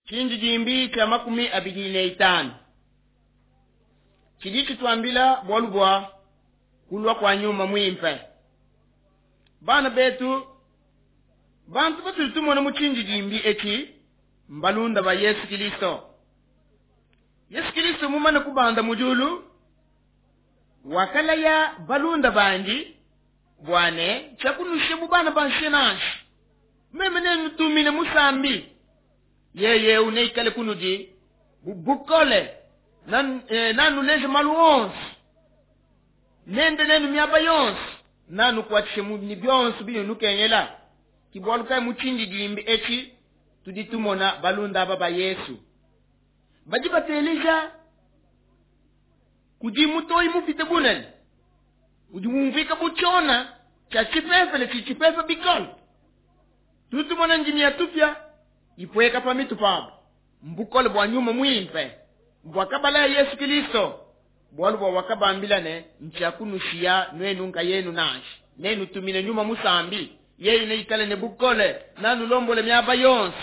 Tshindidimbi tshia 25 tshidi tshituambila bualu bua kulua kua nyuma muimpe. Bana betu, bantu batudi tumona mu tshindidimbi etshi mbalunda ba Yesu Kilisto. Yesu Kilisto mumane kubanda mu diulu, wakalaya balunda bandi bua ne tshiakunusha bu bana ba nshiya nansha. Meme nenutumine musambi, yeye eu neikale kunudi bu bukole, nanuleje malu onso, nende nenu miaba yonso, nanukuatshishe ne bionso binukengela. Ke bualu kayi mu tshindidimbi etshi tudi tumona balunda aba ba Yesu badi bateleja kudi mutoyi mupite bunene udi umvuika bu tshiona tshia tshipepele tshidi tshipepa bikole. Tudi tumona ndimi ya tupia ipueka pa mitu pabu, mbukole bua nyuma muimpe buakabalaya Yesu Kilisto, bualu bua wakabambila ne ntshiakunushiya nuenu nkayenu nansha, nenutumine nyuma musambi, yeye neikale ne bukole, nanulombole miaba yonso,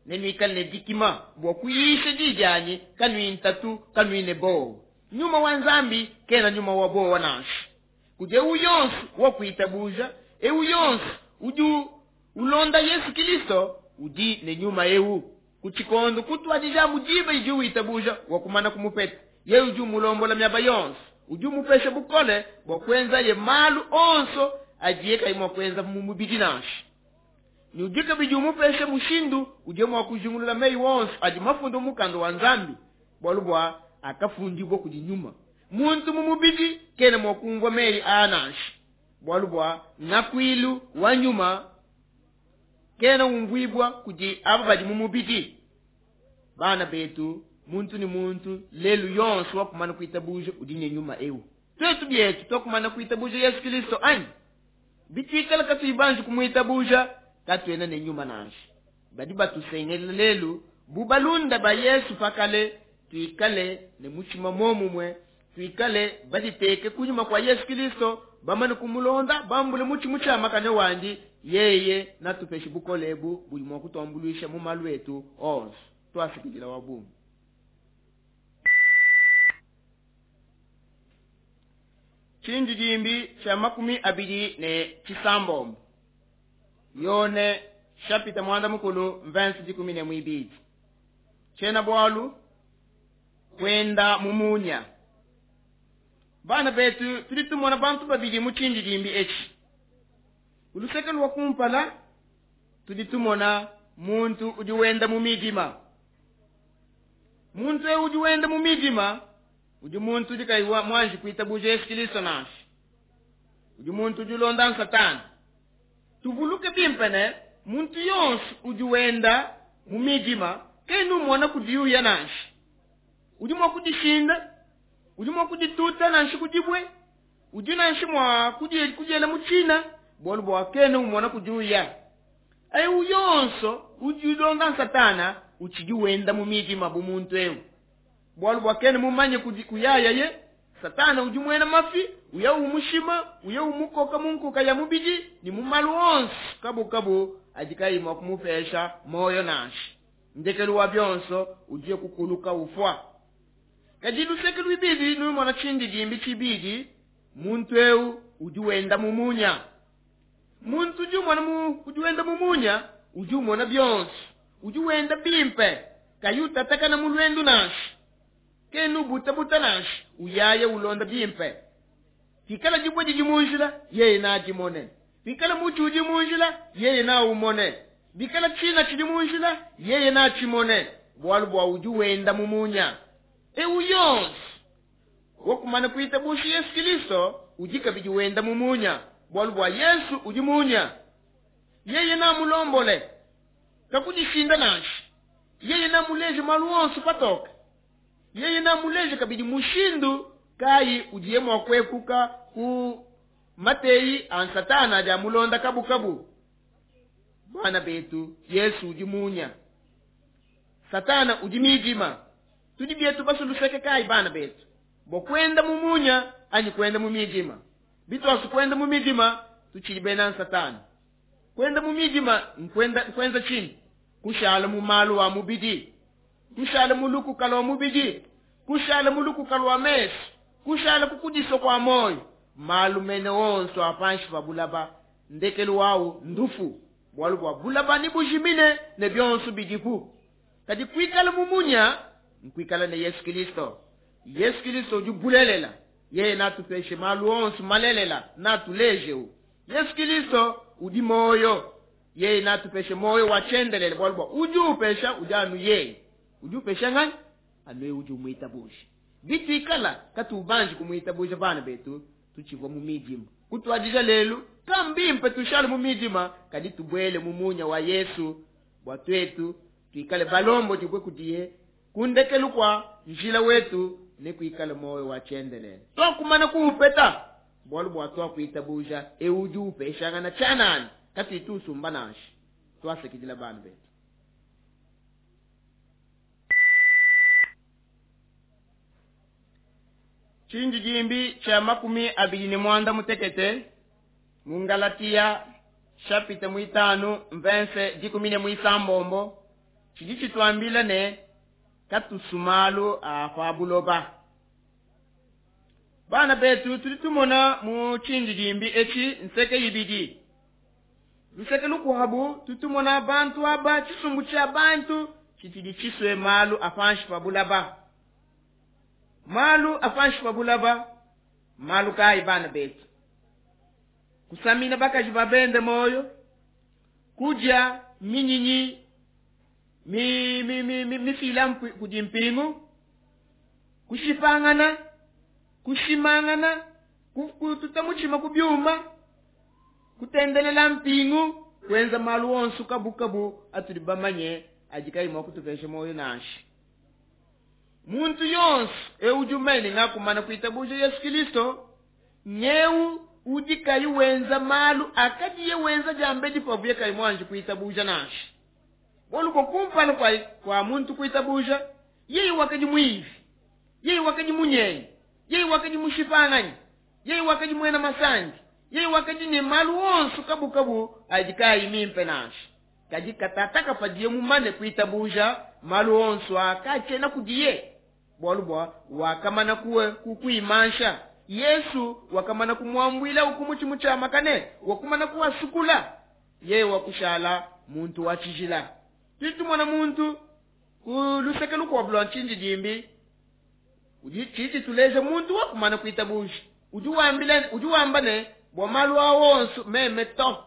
nenuikale ne dikima bua kuyisha di dianyi, kanuyi ntatu, kanuyi ne bowa. Nyuma wa Nzambi kena nyuma wa bowa nansha. Kudi eu yonso wa kuitabuja, eu yonso udi ulonda Yesu Kilisto udi ne nyuma eu. Ku tshikondo kutuadija mu diba idi witabuja wa kumana kumupeta, yeye udi umulombola miaba yonso, udi umupesha bukole bua kuenzaye malu onso adiye kayi mua kuenza mu mubidi nansha. Ne udi kabidi umupesha mushindu udiye mua kujingulula meyi onso adi mafunda mu mukanda wa Nzambi, bualu bua akafundibua kudi nyuma. Muntu mu mubidi kena mua kumvua meyi aa nansha, bualu bua ngakuilu wa nyuma kena umvuibua kudi aba badi mu mubidi. Bana betu, muntu ne muntu lelu yonso wakumana kuitabuja udi ne nyuma eu. Tuetu bietu twakumana kuitabuja Yesu Kilisto anyi? Bituikala katuyi banji kumuitabuja, katuena ne nyuma nansha. Badi batusengelela lelu bu balunda ba Yesu pakale, tuikale ne mutshima momumue, tuikale baditeke kunyima kua Yesu Kilisto, bamane kumulonda, bambule mutshi mutshiamakane wandi, yeye natupeshe bukole ebu budi mua kutuambuluisha mu malu etu onso. Tuasikidila wa bungi. Tshindidimbi tshia 29 Yone chapitre 10 verse 12. Tshiena bualu kwenda mu munya. Bana betu tudi tumona bantu babidi mu tshindidimbi etshi. Ku luseke lua kumpala tudi tumona muntu udi wenda mu midima. Muntu eu udi wenda mu midima udi muntu udi kayi mwanji kuitabuja Yesu Kilisto nansha. Udi muntu udi ulonda Satana. Tuvuluke bimpe ne muntu yonso udi wenda mu midima kena umona kudiuya nansha. Udi mua kudishinda, udi mua kudituta nansha kudibue, udi nansha mua kudiela mu tshina, bualu bua kena umona kudiuya. Eu yonso udi ulonda Satana utshidi wenda mu midima bu muntu eu. Bualu bua kena mumanye kuyayaye, Satana udi muena mafi, uya umushima, uya umukoka mu nkuka ya mubidi ne mu malu onso kabukabu adi kayi mua kumupesha moyo nansha. Ndekelu wa bionso udiye kukuluka ufua. Kadi luseke luibidi numona tshindidimbi tshibidi, muntu eu udi wenda mu munya. Muntu udi umona mu, udi wenda mu munya, udi umona bionso, udi wenda bimpe, kayi utatakana mu luendu nansha. Kena ubutabuta nansha, uyaye ulonda bimpe. Pikala dibue didi mu njila, yeye nadimone. Pikala mutshi udi mu njila, yeye naumone. Bikala tshina tshidi mu njila, yeye natshimone. Bualu bua udi wenda mu munya. Eu yonso wakumana kuitabuja Yesu Kilisto udi kabidi wenda mu munya, bualu bua Yesu udi munya. Yeye namulombole, kakudishinda nansha. Yeye namuleje malu onso patoke. Yeye namuleje kabidi mushindu kayi udiye mua kuepuka ku mateyi a Satana adi amulonda kabukabu. Bana betu, Yesu udi munya, Satana udi midima. Tudi bietu basuluseke kayi bana betu bua kuenda mu munya anyi kuenda mu midima? Bituasu kuenda mu midima tutshidi bena Satana. Kuenda mu midima nkuenda kuenza tshinyi? Kushala mu malu a mubidi. Kushala mu lukuka lua mubidi, kushala mu lukuka lua mesu, kushala ku kudisua kua muoyo, malu mene onso a panshi pa bulaba, ndekelu wawu ndufu, bualu bua bulaba nebujimine ne bionso bidipu. Kadi kuikala mu munya nkuikala ne Yesu Kilisto. Yesu Kilisto udi bulelela, yeye natupeshe malu onso malelela, natulejewu. Yesu Kilisto udi muoyo, yeye natupeshe muoyo wa tshiendelele, bualu bua udi upesha udi anu yeye. Udi upesha nganyi? Anu yeye udi umuitabuja. Bituikala katubanji kumuitabuja bana betu, tutshivua mu midima. Kutuadija lelu, kambimpe tushale mu midima, kadi tubuele mu munya wa Yesu, bua tuetu tuikale balombodibue kudiye ku ndekelu kua njila wetu ne kuikale muoyo wa tshiendelele. Tuakumana kuupeta, bualu bua tuakuitabuja eu udi upeshangana tshianana, katuyi tusumba nansha. Tuasakidila bana betu. Tshindidimbi tshia 25 mu Ngalatia chapitre 5 verset 16 tshidi tshituambila ne katusumalu a pa buloba. Bana betu tudi tumona mu tshindidimbi etshi nseke ibidi. Luseke lukuabu tutumona bantu aba tshisumbu tshia bantu tshitshidi tshisue malu a panshi pa bulaba. Malu a panshi pa bulaba, malu kayi bana betu? Kusamina bakaji ba bende moyo, kudia minyinyi mifila kudi mpingu, kushipangana, kushimangana, kututa mutshima ku byuma, kutendelela mpingu, kuenza malu onso kabukabu atudi bamanye adi kayi mua kutupesha moyo nansha. Muntu yonso eu udi umene ngakumana kuitabuja Yesu Kilisto, nyeu udi kayi wenza malu akadiye wenza diambedi pavuye kayi muanji kuitabuja nansha. Bualu bua kumpala kwa muntu kuitabuja, yeye wakadi muivi, yeye wakadi munyengi, yeye wakadi mushipanganyi, yeye wakadi muena masandi, yeye wakadi ne malu onso kabukabu adi kayi mimpe nansha. Kadi katataka padiye mumane kuitabuja malu onso akatshena kudiye, bualu bua wakamana kuimansha. Yesu wakamana kumuambuila ukumutshimu tshia makane, wakumana kuwasukula, yeye wakushala muntu wa tshijila. Tudi tumona muntu ku luseke lukuabu lua tshindidimbi, udi tshidi tuleja muntu wakumana kuitabuja. Udi wambila, udi wamba ne bua malu a onso meme to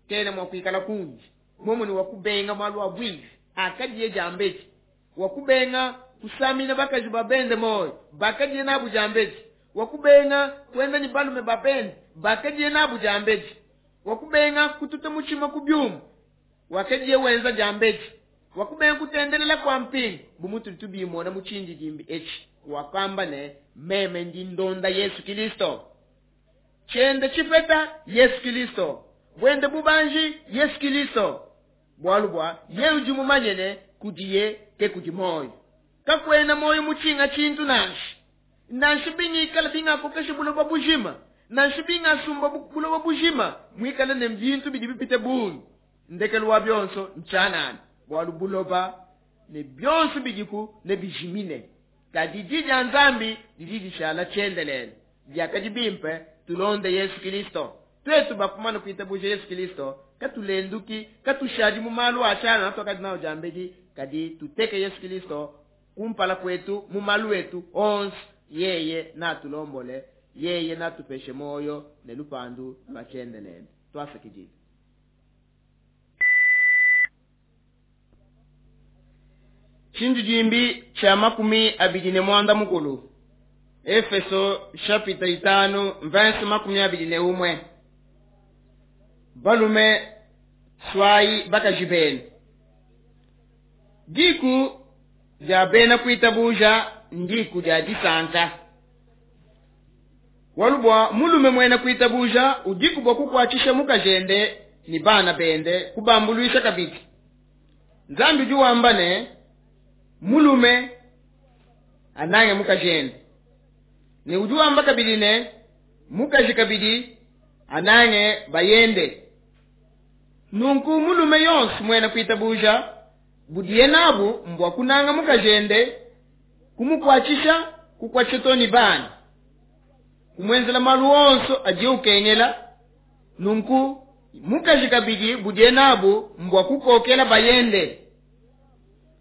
kena mua kuikala kundi. Momuni wakubenga malu a bwivi akadiye diambedi, wakubenga kusamina bakaji ba bende moyo bakadiye nabu diambedi, wakubenga kuenda ni balume ba bende bakadiye nabu diambedi, wakubenga kututa mutshima ku byuma wakadiye wenza diambedi, wakubenga kutendelela kwa mpingu bu mutu tubimona mu tshindidimbi etshi. Wakamba ne meme ndi ndonda Yesu Kilisto, tshiende tshipeta Yesu Kilisto, bwende bubanji Yesu Kilisto, bualu bua ye udi mumanye ne kudiye ke kudi moyo. Kakwena moyo mutshinga tshintu nansha. Nansha bingikala bingakokesha buloba bujima, nansha bingasumba buloba bujima, mwikale ne bintu bidi bipite bungi, ndekelu wa bionso ntshianana, bualu buloba ne bionso bidiku ne bijimine. Kadi di dia Nzambi didi dishala tshiendelele. Diakadi bimpe tulonde Yesu Kilisto. Tuetu bakumana kuitabuja Yesu Kilisto, katulenduki, katushadi mu malu a tshianana tuakadi nawo diambedi, kadi tuteke Yesu Kilisto kumpala kwetu mu malu etu onso. Yeye natulombole, yeye natupeshe moyo ne lupandu lwa tshiendelele. Twasakidile. Tshindidimbi tshia 25, Efeso chapitre 5 verse 21. Balume swai bakaji benu. Diku dia bena kuitabuja ndiku dia disanka. Bualu bua mulume muena kuitabuja udiku bua kukuatshisha mukajende ni bana bende kubambuluisha kabidi. Nzambi udi wamba ne mulume anange mukajende, ne udi wamba kabidi ne mukaji kabidi anange bayende. Nunku mulume yonso muena kuitabuja Budiye nabu mbua kunanga mukajende, kumukuatshisha, kukuatshisha too ne bana, kumuenzela malu onso adiye ukengela. Nunku mukaji kabidi budiye nabu mbua kukokela bayende.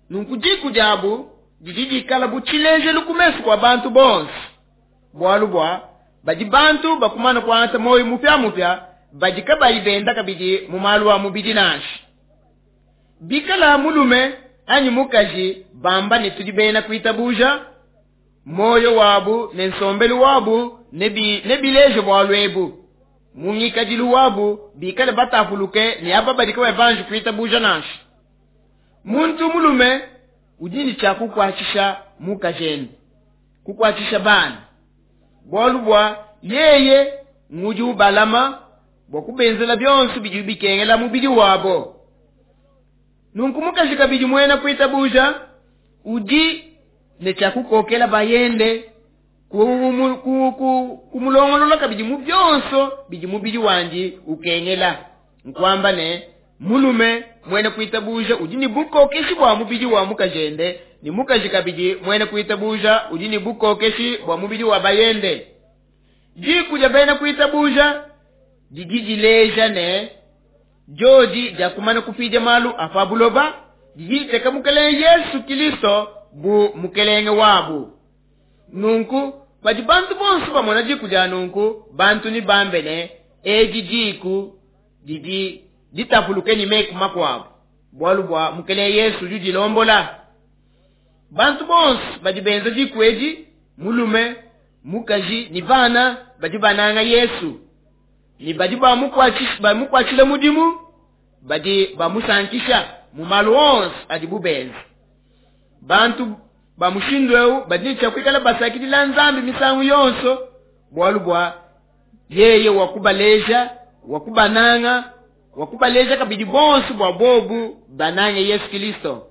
Nunku diku diabu didi dikala bu tshilejelu ku mesu kua bantu bonso, bualu bua badi bantu bakumana kuangata muoyo mupiamupia, badi kabayi benda kabidi mu malu a mubidi nansha. Bikala mulume anyi mukaji bamba ne tudi bena kuitabuja, muoyo wabu ne nsombelu wabu nebileje bualu ebu. Mu ngikadilu wabu bikale batapuluke ne aba badi kabayi banji kuitabuja nansha. Muntu mulume udi ne tshia kukuatshisha mukajende, kukuatshisha bana, bualu bua yeye ngudi ubalama bua kubenzela bionso bidi bikengela mubidi wabo. Nunku mukaji kabidi muena kuitabuja udi ne tshia kukokela bayende, kumulongolola kabidi mu bionso bidi mubidi wandi ukengela. Nkuamba ne mulume muena kuitabuja udi ne bukokeshi bua mubidi wa mukajende, ne mukaji kabidi muena kuitabuja udi ne bukokeshi bua mubidi wa bayende. Diku dia bena kuitabuja didi dileja ne diodi diakumana kupidia malu a pa buloba, didi diteka Mukelenge Yesu Kilisto bu mukelenge wabu. Nunku padi bantu bonso bamona diku dia nunku, bantu ne bambe ne edi diku didi ditapuluke ne meku makuabu, bualu bua Mukelenge Yesu udi udilombola. Bantu bonso badi benza diku edi, mulume, mukaji ne bana, badi bananga Yesu ne badi bamukuatshila mudimu, badi bamusankisha mu malu onso adibu benza. Bantu ba mushindu eu badi ne tshia kuikala basakidila Nzambi misangu yonso, bualu bua yeye wakubaleja, wakubananga, wakubaleja kabidi bonso bua bobu banange Yesu Kilisto.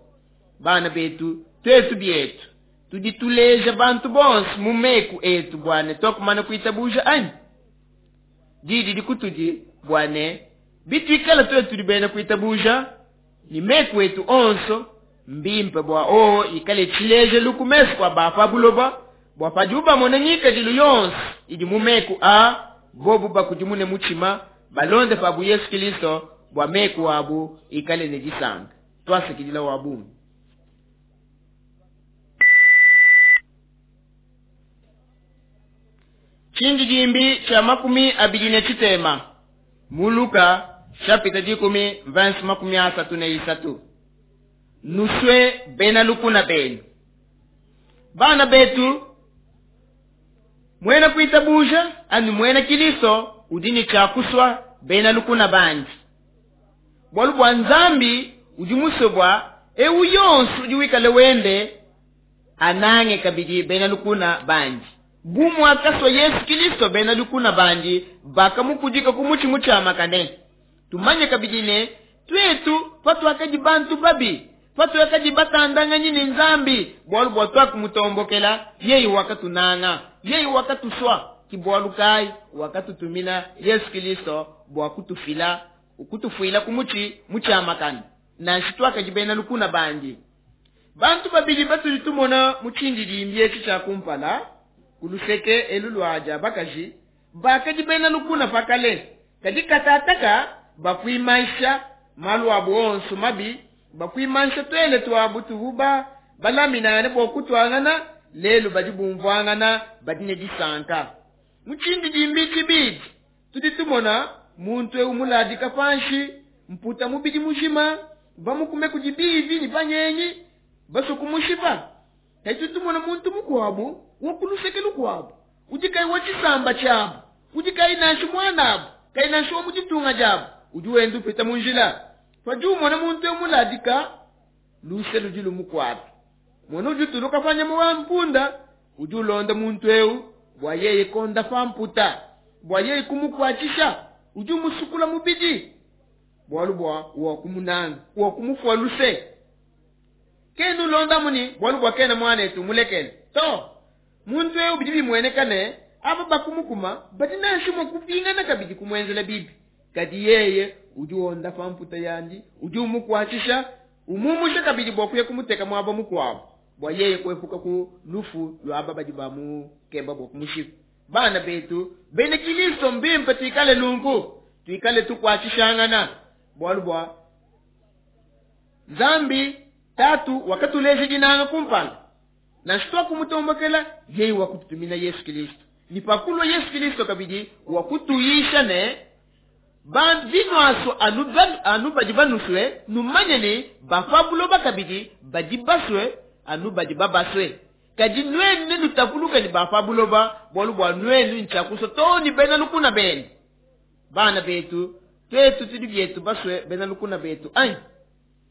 Bana betu, tuetu bietu tudi tuleja bantu bonso mu meku etu bua ne tuakumana kuitabuja anyi? Di didi kutudi bua ne bituikala tuetu tudi bena kuitabuja ne meku etu onso, mbimpe bua oo ikale tshilejelu ku mesu kua ba pa buloba, bua padibu bamona ngikadilu yonso idi mu meku a bobu bakudimune mutshima, balonde pabu Yesu Kilisto bua meku abu ikale ne disanka. Tuasakidila wa bungi. Tshindidimbi tshia 23 mu Luka chapitre 10 verse 33. Nusue bena lukuna benu. Bana betu, muena kuitabuja ani muena Kilisto udi ne tshia kusua bena lukuna bandi, bualu bua Nzambi udi musue bua ewu yonso udi wikale wende anange kabidi bena lukuna bandi. Bu muakasua Yesu Kilisto bena lukuna bandi bakamukudika ku mutshi mutshiamakane. Tumanye kabidi ne tuetu patuakadi bantu babi, patuakadi batandanganyi ne Nzambi, bualu bua tuakumutombokela, yeye wakatunanga, yeye wakatusua. Ki bualu kayi wakatutumina Yesu Kilisto bua kutufuila ku mutshi mutshiamakane, nansha tuakadi bena lukuna bandi. Bantu babidi batudi tumona mu tshindidimbi etshi tshia kumpala ku luseke elu lua dia bakaji bakadi bena lukuna pa kale, kadi katataka bakuimansha malu abu onso mabi, bakuimansha tuele tuabu tuvu balaminangane bua kutuangana, lelu badi bumvuangana, badi ne disanka. Mu tshindidimbi tshibidi tudi tumona muntu eu muladika panshi, mputa mubidi mujima, bamukume kudi bivi ne banyengi basue kumushipa. Kadi tudi tumona muntu mukuabu wa ku luseke lukuabu udi kayi wa tshisamba tshiabu, udi kayi nansha muanabu, kayi nansha wa mu ditunga diabu, udi wenda upita mu njila. Padi umona muntu eu muladika, luse ludi lumukuata. Mona udi utuluka pa nyama wa mpunda, udi ulonda muntu eu bua yeye konda pa mputa, bua yeye kumukuatshisha, udi umusukula mubidi, bualu bua wakumunanga, wakumufua luse. Kena ulonda muni bualu bua kena muanetu mulekele to. Muntu eu bidi bimueneka ne aba bakumukuma badi nansha mua kupingana kabidi kumuenzela bibi, kadi yeye udi wonda pa mputa yandi, udi umukuatshisha, Umumushe kabidi bua kuya kumuteka muaba mukuabu, bua yeye kuepuka ku lufu lua aba badi bamukeba bua kumushipa. Bana betu bena Kilisto, mbimpe tuikale nunku, tuikale tukuatshishangana, bualu bua Nzambi Tatu wakatuleja dinanga kumpala. Nansha tuakumutombokela, yeye wakututumina Yesu Kilisto. Ne pakulua Yesu Kilisto kabidi wakutuyisha ne, Binuasua anu badi banusue, numanye ne, ba pa buloba kabidi badi basue anu badi babasue. Kadi nuenu nenutapuluke ne ba pa buloba, bualu bua nuenu ntshiakusua too ne bena lukuna benu. Bana betu, tuetu tudi bietu basue bena lukuna betu anyi?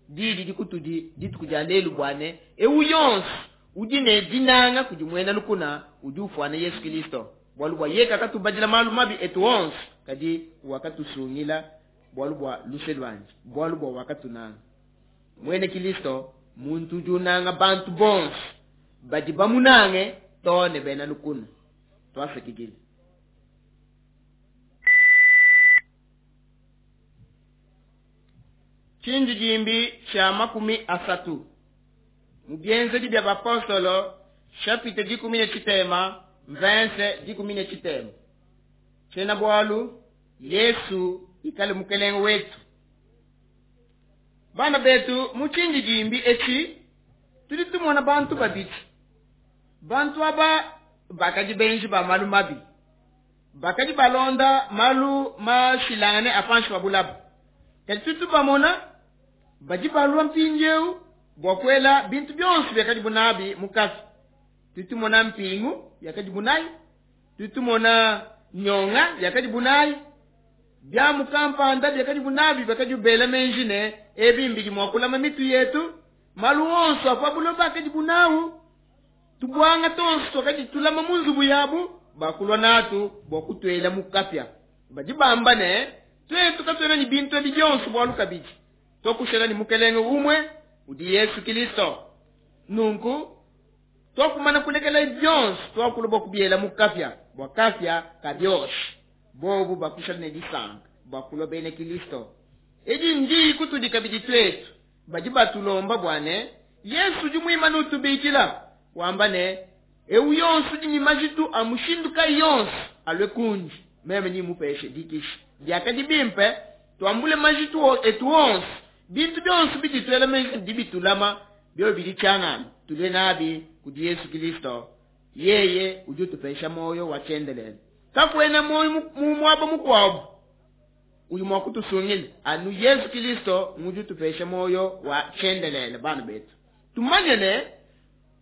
Diyi didi kutudi dituku dia lelu bua ne, eu yonso udi ne dinanga kudi muena lukuna udi ufuana Yesu Kilisto, bualu bua yeye kakatubadila malu mabi etu onso, kadi wakatusungila bualu bua luse luandi, bualu bua wakatunanga. Muena Kilisto muntu udi unanga bantu bonso badi bamunange, too ne bena lukuna. Tuasakidila. Tshindidimbi tshia 30 mu Bienzedi bia Bapostolo, chapitre 13, verse 13. Tshiena bualu, Yesu ikale Mukelenge wetu. Bana betu, mu tshindidimbi etshi tudi tumona bantu babidi. Bantu aba bakadi benji ba malu mabi, bakadi balonda malu mashilangane a panshi pa bulaba. Kadi tudi tubamona badi balua mpindieu bua kuela bintu bionso biakadibu nabi mu kafi. Tudi tumona mpingu yakadibu nayi, tudi tumona nyonga yakadibu nayi, biamu kampanda biakadibu nabi, biakadibu bela meji ne ebi mbidi mua kulama mitu yetu. Malu onso a pa buloba akadibu nawu, tubuanga tonso tuakadi tulama mu nzubu yabu, bakulua natu bua kutuela mu kapia. Badi bamba ne, tuetu katuena ne bintu ebi bionso bualu kabidi tuakushala ne Mukelenge umue udi Yesu Kilisto. Nunku tuakumana kulekela bionso, tuakulua bua kubiela mu kapia bua kapia kabioshi. Bobu bakushala ne disanka bua kulua bena Kilisto. Edi ndiyi kutudi kabidi tuetu badi batulomba bua ne, Yesu udi muimane utubikila, wamba ne, eu yonso udi ne majitu a mushindu kayi yonso alue kundi, meme nimupeshe dikisha. Biakadi bimpe tuambule majitu etu onso, bintu bionso bidi tuela meji bidi bitulama, biobi bidi tshianana, tulue nabi kudi Yesu Kilisto. Yeye udi utupesha muoyo wa tshiendelele. Kakuena muoyo mu muaba mukuabu udi mua kutusungila, anu Yesu Kilisto ngudi utupesha muoyo wa tshiendelele. Bana betu, tumanye ne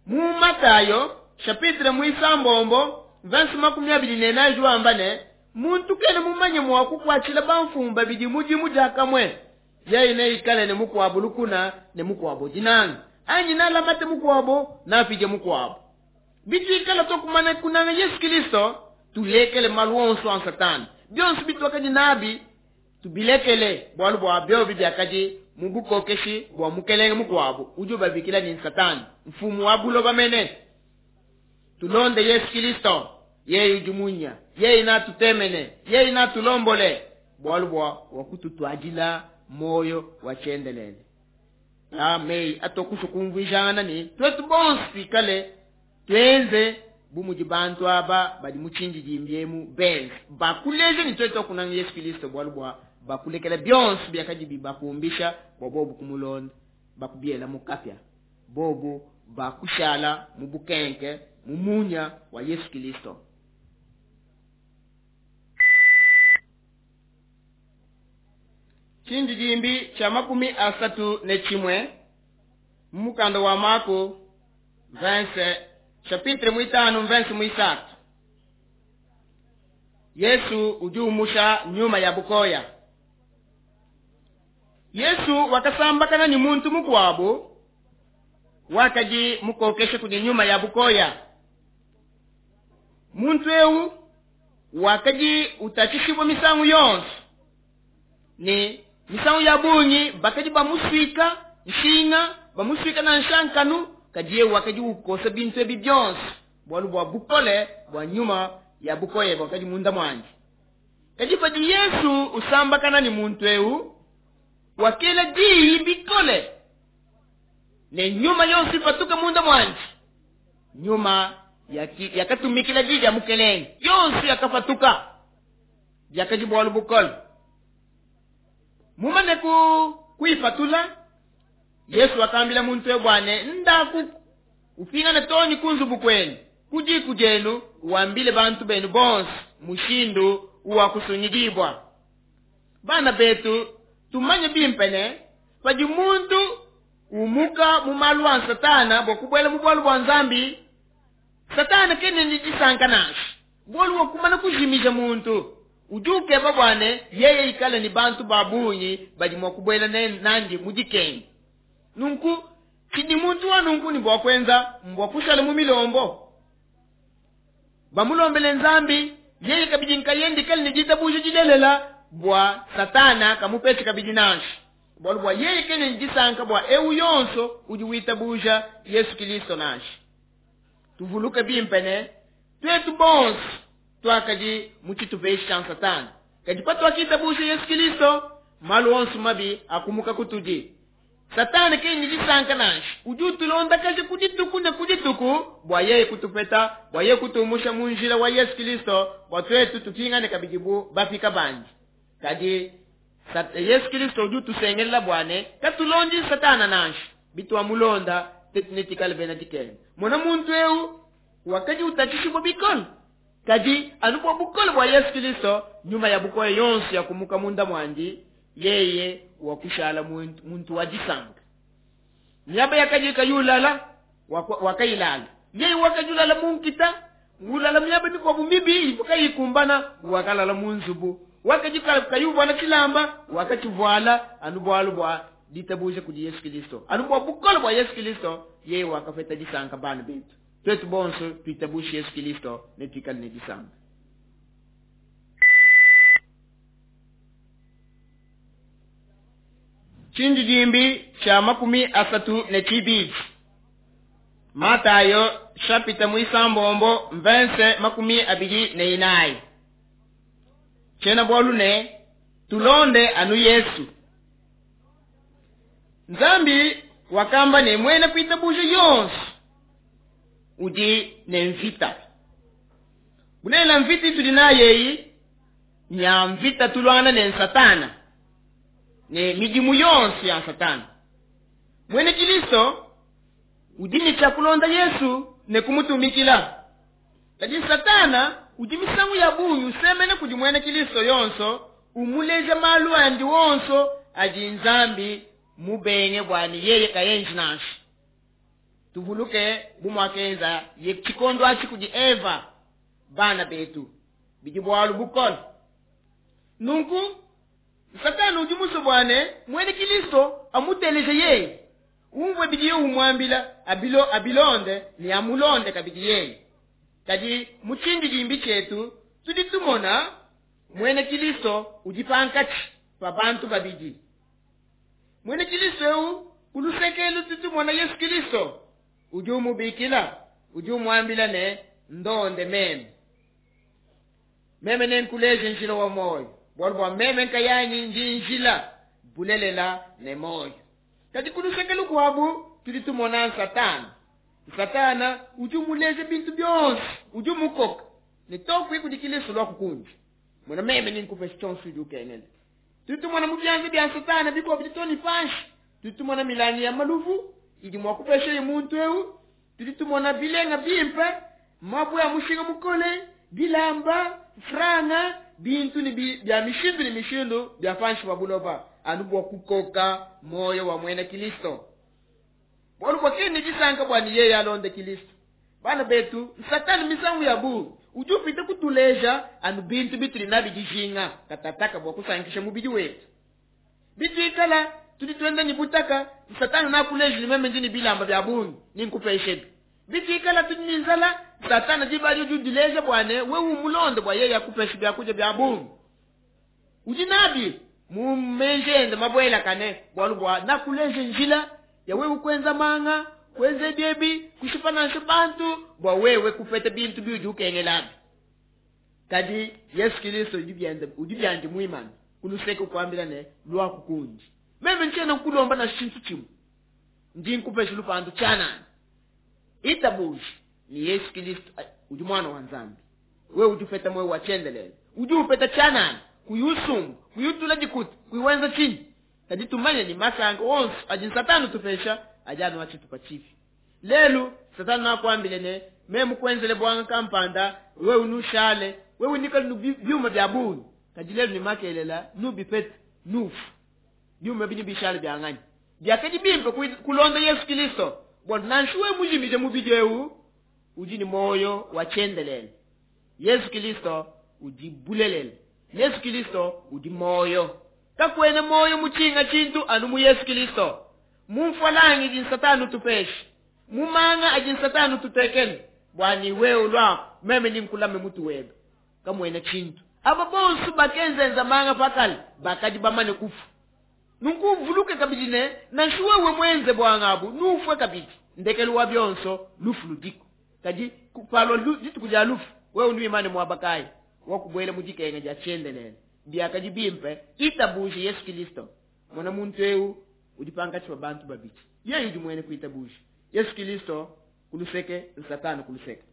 mu Matayo chapitre 9 verse 24 wamba ne, muntu kena mumanye mua kukuatshila bamfumu babidi mudimu diakamue, yeye neikale ne mukuabu lukuna ne mukuabu dinanga, anyi nalamate mukuabu napidie mukuabu. Bituikala tokumana kunanga Yesu Kilisto, tulekele malu onso a Satana, bionso bituakadi nabi tubilekele, bualu bua biobi biakadi mu bukokeshi bua mukelenge mukuabu udi ubabikila ne Satana, mfumu wa buloba mene. Tulonde Yesu Kilisto, yeye udi munya, yeye natutemene, yeye natulombole, bualu bua wakututuadila moyo wa tshiendelele. Amei atokusha kumvuijana ne tuetu bonso tuikale tuenze bu mudi bantu aba badi mu tshindidimbi emu benze, bakuleje ne tuetu akunanga Yesu Kilisto, bualu bua bakulekela bionso biakadi bibakumbisha bua bobu kumulonda, bakubiela mu kapia, bobu bakushala mu bukenke mu munya wa Yesu Kilisto. Tshindidimbi tshia 31 mu mukanda wa Mako verse chapitre 5 verse 3. Yesu udi umusha nyuma ya bukoya. Yesu wakasambakana ni muntu mukuabu wakadi mukokeshe kudi nyuma ya bukoya. Muntu eu wakadi utatshishibwa misangu yonso ne misangu ya bungi bakadi bamuswika nshinga, bamuswika na nshankanu, kadi yeye wakadi ukosa bintu ebi bionso bualu bua bukole bua nyuma ya bukoya bwakadi munda mwandi. Kadi padi Yesu usambakana ni muntu eu wakela diyi bikole. Ne nyuma yonso ipatuke munda muandi. Nyuma yakatumikila di dia Mukelenge, yonso yakapatuka. Biakadi bualu bukole. Mumane kuipatula, Yesu wakambila muntu eu bua ne, Ndaku, upingane too ne ku nzubu kuenu, ku diku dienu, wambile bantu benu bonso mushindu uwakusungidibua. Bana betu, tumanye bimpe ne, padi muntu umuka mu malu a Satana bua kubuela mu bualu bua Nzambi, Satana kena ne disanka nansha. Bualu bua kumana kujimija muntu, udi ukeba bua ne yeye ikale ne bantu ba bungi badi mua kubuela nandi mu dikenga. Nunku tshidi muntu wa nunku ne bua kuenza mbua kushala mu milombo, bamulombele Nzambi, yeye kabidi nkayende ikale ne ditabuja dilelela bua Satana kamupeshe kabidi nansha. Bualu bua yeye kena ne disanka bua eu yonso udi witabuja Yesu Kilisto nansha. Tuvuluke bimpe ne tuetu bonso tuakadi mu tshitupa etshi tshia Satana, kadi patuakitabuja Yesu Kilisto, malu onso mabi akumuka kutudi. Satana kena ne disanka nansha, udi utulondakaja ku dituku ne ku dituku bua yeye kutupeta, bua yeye kutumusha mu njila wa Yesu Kilisto, bua tuetu tupingane kabidi bu bapika bandi. Kadi Yesu Kilisto udi utusengelela bua ne katulondi Satana nansha, bituamulonda tetu netuikale bena dikenga. Mona muntu eu wakadi utatshishibua bikole, kadi anu bua bukole bua Yesu Kilisto, nyuma ya bukole yonso yakumuka munda muandi, yeye wakushala muntu wa disanka. Miaba yakadi kayulala, wakayilala. Yeye wakajulala mu nkita, ulala miaba mikuabu mibi ivua kayikumbana, wakalala mu nzubu. Wakadi kayuvuala tshilamba, wakatshivuala anu bualu bua ditabuja kudi Yesu Kilisto, anu bua bukole bua Yesu Kilisto, yeye wakapeta disanka. Bana betu, tuetu bonso tuitabushe Yesu Kilisto ne tuikale ne disanka. Tshindidimbi tshia 32. Matayo chapitre muisambombo verse 24. Tshiena bualu ne tulonde anu Yesu. Nzambi wakamba ne muena kuitabuja yonso udi ne mvita. Bulelela mvita itudi nayo eyi nya mvita tulwana ne Satana ne midimu yonso ya Satana. Mwene Kilisto udi ne tshia kulonda Yesu ne kumutumikila. Kadi Satana udi misangu ya bungi usemena kudi mwene Kilisto yonso, umuleja malu andi wonso adi Nzambi mubenge bua ne yeye kayenji nansha. Tuvuluke bu muakenza ye tshikondo atshi kudi Eva, bana betu, bidi bualu bukole. Nunku Satana udi musue bua ne mwene Kilisto amuteleje yeye, umvue bidiye umuambila, abilonde ne amulonde kabidi yeye. Kadi mu tshindidimbi tshietu tudi tumona mwene Kilisto udi pankatshi pa bantu babidi. Mwene Kilisto eu ku luseke tudi tumona Yesu Kilisto udi umubikila, udi umuambila ne ndonde meme. Meme nenkuleje njila wa moyo, bualu bua meme nkayanyi ndi njila, bulelela ne moyo. Kadi ku luseke lukuabu tudi tumona Satana. Satana udi umuleja bintu bionso, udi umukoka ne tokwi kudi Kilisto lua kukundi. Mona meme ninkupesha tshionso udi ukengela. Tudi tumona mu bianza bia Satana bikuabu ditoni panshi. Tudi tumona milangi ya maluvu idi mua kupesha muntu eu. Tudi tumona bilenga bimpe, mabue a mushinga mukole, bilamba, franga, bintu ne bia mishindu ne mishindu bia panshi pa buloba, anu bua kukoka moyo wa mwena Kilisto. Bualu bua kene disanka bua ne yeye alonde Kilisto. Bana betu, Satani misangu ya bungi udi upita kutuleja anu bintu bitudi nabi dijinga katataka bua kusankisha mubidi wetu. Bituikala tudi tuenda ni butaka, Satani nakuleja ni meme ndi ni bilamba bia bungi ninkupeshebi. Bituikala tudi ni nzala, Satani diba adi udi udileja bua ne wewe umulonde bua yeye akupeshe biakudia bia bungi. Udi nabi mu meji ende mabuelakane, bualu bua nakuleja njila ya wewe kuenza manga, kuenza biebi, kushipa nansha bantu bua wewe kupeta bintu biudi ukengelabi. Kadi Yesu Kilisto udi biandi muimane ku luseke kuambila ne lua kukundi. Meme ntshiena nkulomba na tshintu tshimue. Ndi nkupesha lupandu tshianana. Itabuja ne Yesu Kilisto udi Muana wa Nzambi. Wewe udi upeta muoyo wa tshiendelele. Udi upeta tshianana, kuyi usumba, kuyi utula dikuta, kuyi wenza tshinyi. Kadi tumanye ne, masanka onso adi Satana utupesha adi anu a tshitupa tshipi. Lelu Satana nakuambile ne, meme kuenzele buanga kampanda, wewe nushale, wewe nikale nu biuma bia bungi. Kadi lelu ne makelela nubipete, nufu. Biuma bidi bishale bia nganyi? Biakadi bimpe kulonda Yesu Kilisto, bualu nansha wewe mujimije mubidi eu, udi ne muoyo wa tshiendelele. Yesu Kilisto udi bulelela. Yesu Kilisto udi muoyo. Kakuena muoyo mu tshinga tshintu anu mu Yesu Kilisto. Mu mfualangi idi Satana utupesha, mu manga adi Satana ututekele, bua ni wewe ulua meme ndi nkulame mutu webe, kamuena tshintu. Aba bonso bakenzenza manga pakale bakadi bamane kufa. Nunku uvuluke kabidi ne, nansha wewe muenze buanga abu, nufue kabidi. Ndekelu wa bionso lufu ludiku. Kadi kupalua dituku dia lufu, wewe nuimane muaba kayi wakubuela mu dikenga dia tshiendelele. Biakadi bimpe itabuje Yesu Kilisto. Mona muntu eu udi pankatshi pa bantu babidi. Yeye udi muene kuitabuja Yesu Kilisto kuluseke, Satana kuluseke.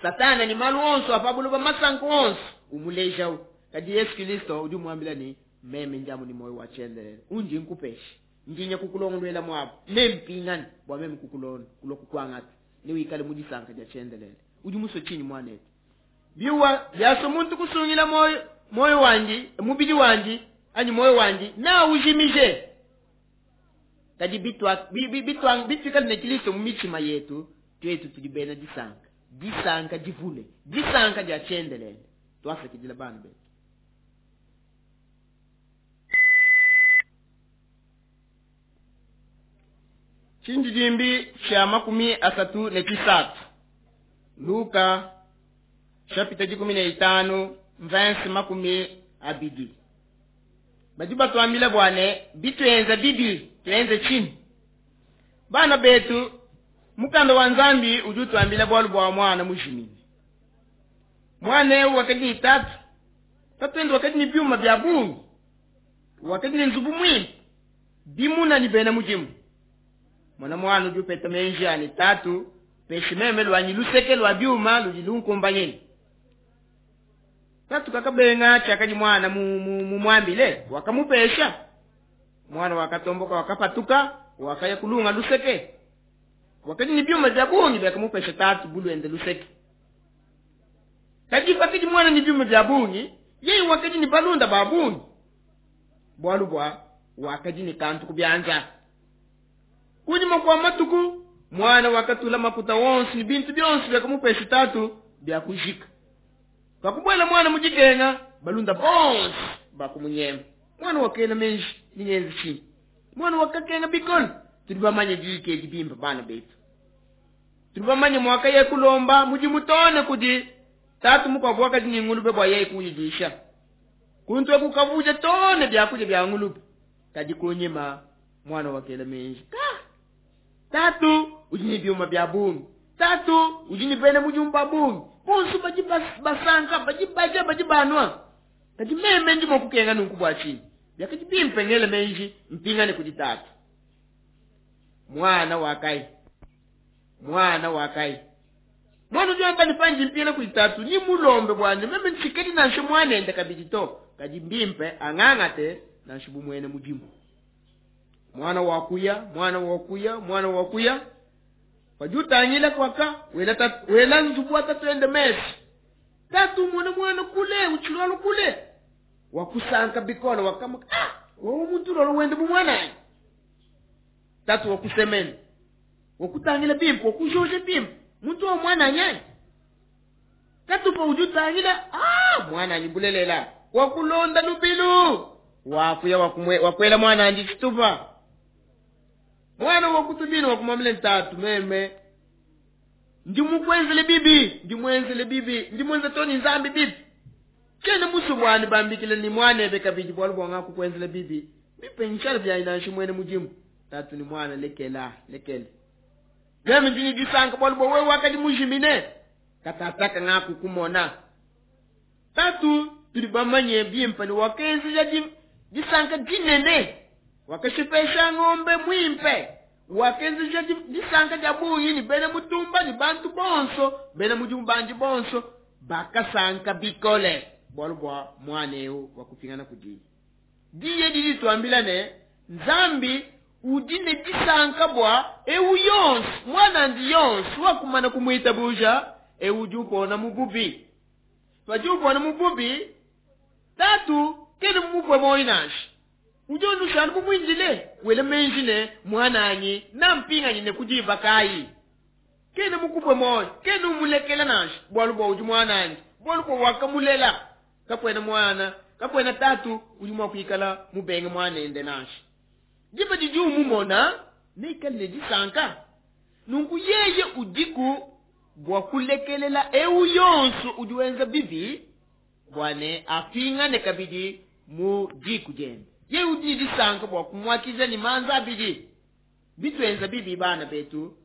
Satana ni malu onso apa buloba masanka onso umulejawu. Kadi Yesu Kilisto udi umuambila ne, meme ndiamu ni moyo wa tshiendelele, undi nkupesha, ndinya kukulongoluela muaba, nempingane bua meme kukulonda kulua kukuangata, newikale mu disanka dia tshiendelele. Udi musue tshinyi muanetu? Biwa biaso muntu kusungila moyo, moyo wandi, mubidi wandi anyi moyo wandi na ujimije. Kadi bituikale ne Kilisto mu mitshima yetu, tuetu tudi bena disanka, disanka divule, disanka dia tshiendelele. Twasakidila bana betu. Tshindidimbi tshia 33. Luka chapitre 15 verse 20. Badi batuambila bua ne bituenza bibi tuenze tshinyi? Bana betu, mukanda wa Nzambi udi utuambila bualu bua mwana mujimine. Mwana eu wakadi ne tatu, tatuende wakadi ne biuma bia bungi, wakadi ne nzubu muimpe, bimuna ne bena mudimu. Mwana mwana udi upeta menji ani tatu, peshi meme lwanyi luseke lwa biuma ludi lunkumbanyine. Tatu kakabenga tshiakadi mwana mumuambile, wakamupesha. Mwana wakatomboka, wakapatuka, wakaya kulunga luseke. Wakadi ne biuma bia bungi biakamupesha tatu bulwende luseke. Kadi pakadi mwana ne biuma bia bungi, yeye wakadi ne balunda ba bungi, bualu bua wakadi ne kantu ku bianza. Kunyima kua matuku, mwana wakatula makuta wonso ne bintu bionso biakamupesha tatu bia kujika. Pakubuela mwana mu dikenga, balunda bonso bakumunyema. Mwana wakela menji ningenzi tshinyi? Mwana wakakenga bikole. Tudi bamanye diyi edi bimpe bana betu. Tudi bamanye mwaka ye kulomba mudimu tone kudi tatu mukuabu wakadi ne ngulube bua yeye kuyidisha. Kuntu eku kavuja tone byakudia bya ngulube. Kadi kunyima mwana wakela menji. Ka! Tatu udi ne biuma bya bungi. Tatu udi ne bena mudimu ba bungi. Bonso badi basanka, badi badia, badi banua. Kadi meme ndi mua kukenga nunku bua tshinyi? Biakadi bimpe ngele menji mpingane kudi tatu. Mwana wakai. Mwana wakai. Mwana udi wamba ne panji mpingane kudi tatu, ni mulombe bwane, meme ntshikedi nansha mwanende kabidi to. Kadi mbimpe angangate nansha bumwene mudimu. Mwana wakuya, mwana wakuya, mwana wakuya. Padi utangila kwaka, wela tatu, wela nzubu wa tatu ende mesi. Tatu mwana mwana kule, uchilwalo kule. Wakusanka bikole, wakamuka, wewe muntu lolo wende bu mwananyi. Tatu wakusemena. Wakutangila bimpe, wakujoje bimpe. Muntu wa mwananyi. Tatu pa udi utangila, mwananyi bulelela. Wakulonda lubilu. Wakuya, wakwela mwananyi tshitupa. Mwana wakutubina wakumwambila tatu meme. Ndi mukwenzele bibi, ndi mwenzele bibi, ndi mwenze toni nzambi bibi. Kene musu bwani bambikile ni mwanebe kabidi bualu bwa ngakukwenzele bibi. Bipe nshala bya inanshi mwene mudimu. Tatu ni mwana lekela, lekele. Meme ndi disanka bualu bwa wewe wakadi mujimine. Katataka ngakukumona. Tatu tudi bamanye bimpe ni wakenzija disanka dinene. Wakashipesha ng'ombe mwimpe. Wakenzeja disanka dia bungi ne bena mutumba ne bantu bonso, bena mudimu bandi bonso bakasanka bikole bualu bua muana eu wakupingana kudiye. Diyi edi dituambila ne, Nzambi udi ne disanka bua eu yonso, muanandi yonso wakumana kumuitabuja, eu udi upona mu bubi. Padi upona mu bubi, tatu kena mumupue muoyo nansha. Udi unushala mumuindile, wela meji ne, muananyi nampinganyine ku diba kayi? Kena mukupue muoyo, kena umulekela nansha, bualu bua udi muanandi, bualu bua wakamulela. Kakuena muana, kakuena tatu udi mua kuikala mubenge muanende nansha. Diba didi umumona, neikale ne disanka. Nunku yeye udiku bua kulekelela eu yonso udi wenza bibi, bua ne apingane kabidi mu diku diende. Yeye udi ne disanka bua kumuakidila ne manza abidi. Bituenza bibi bana betu,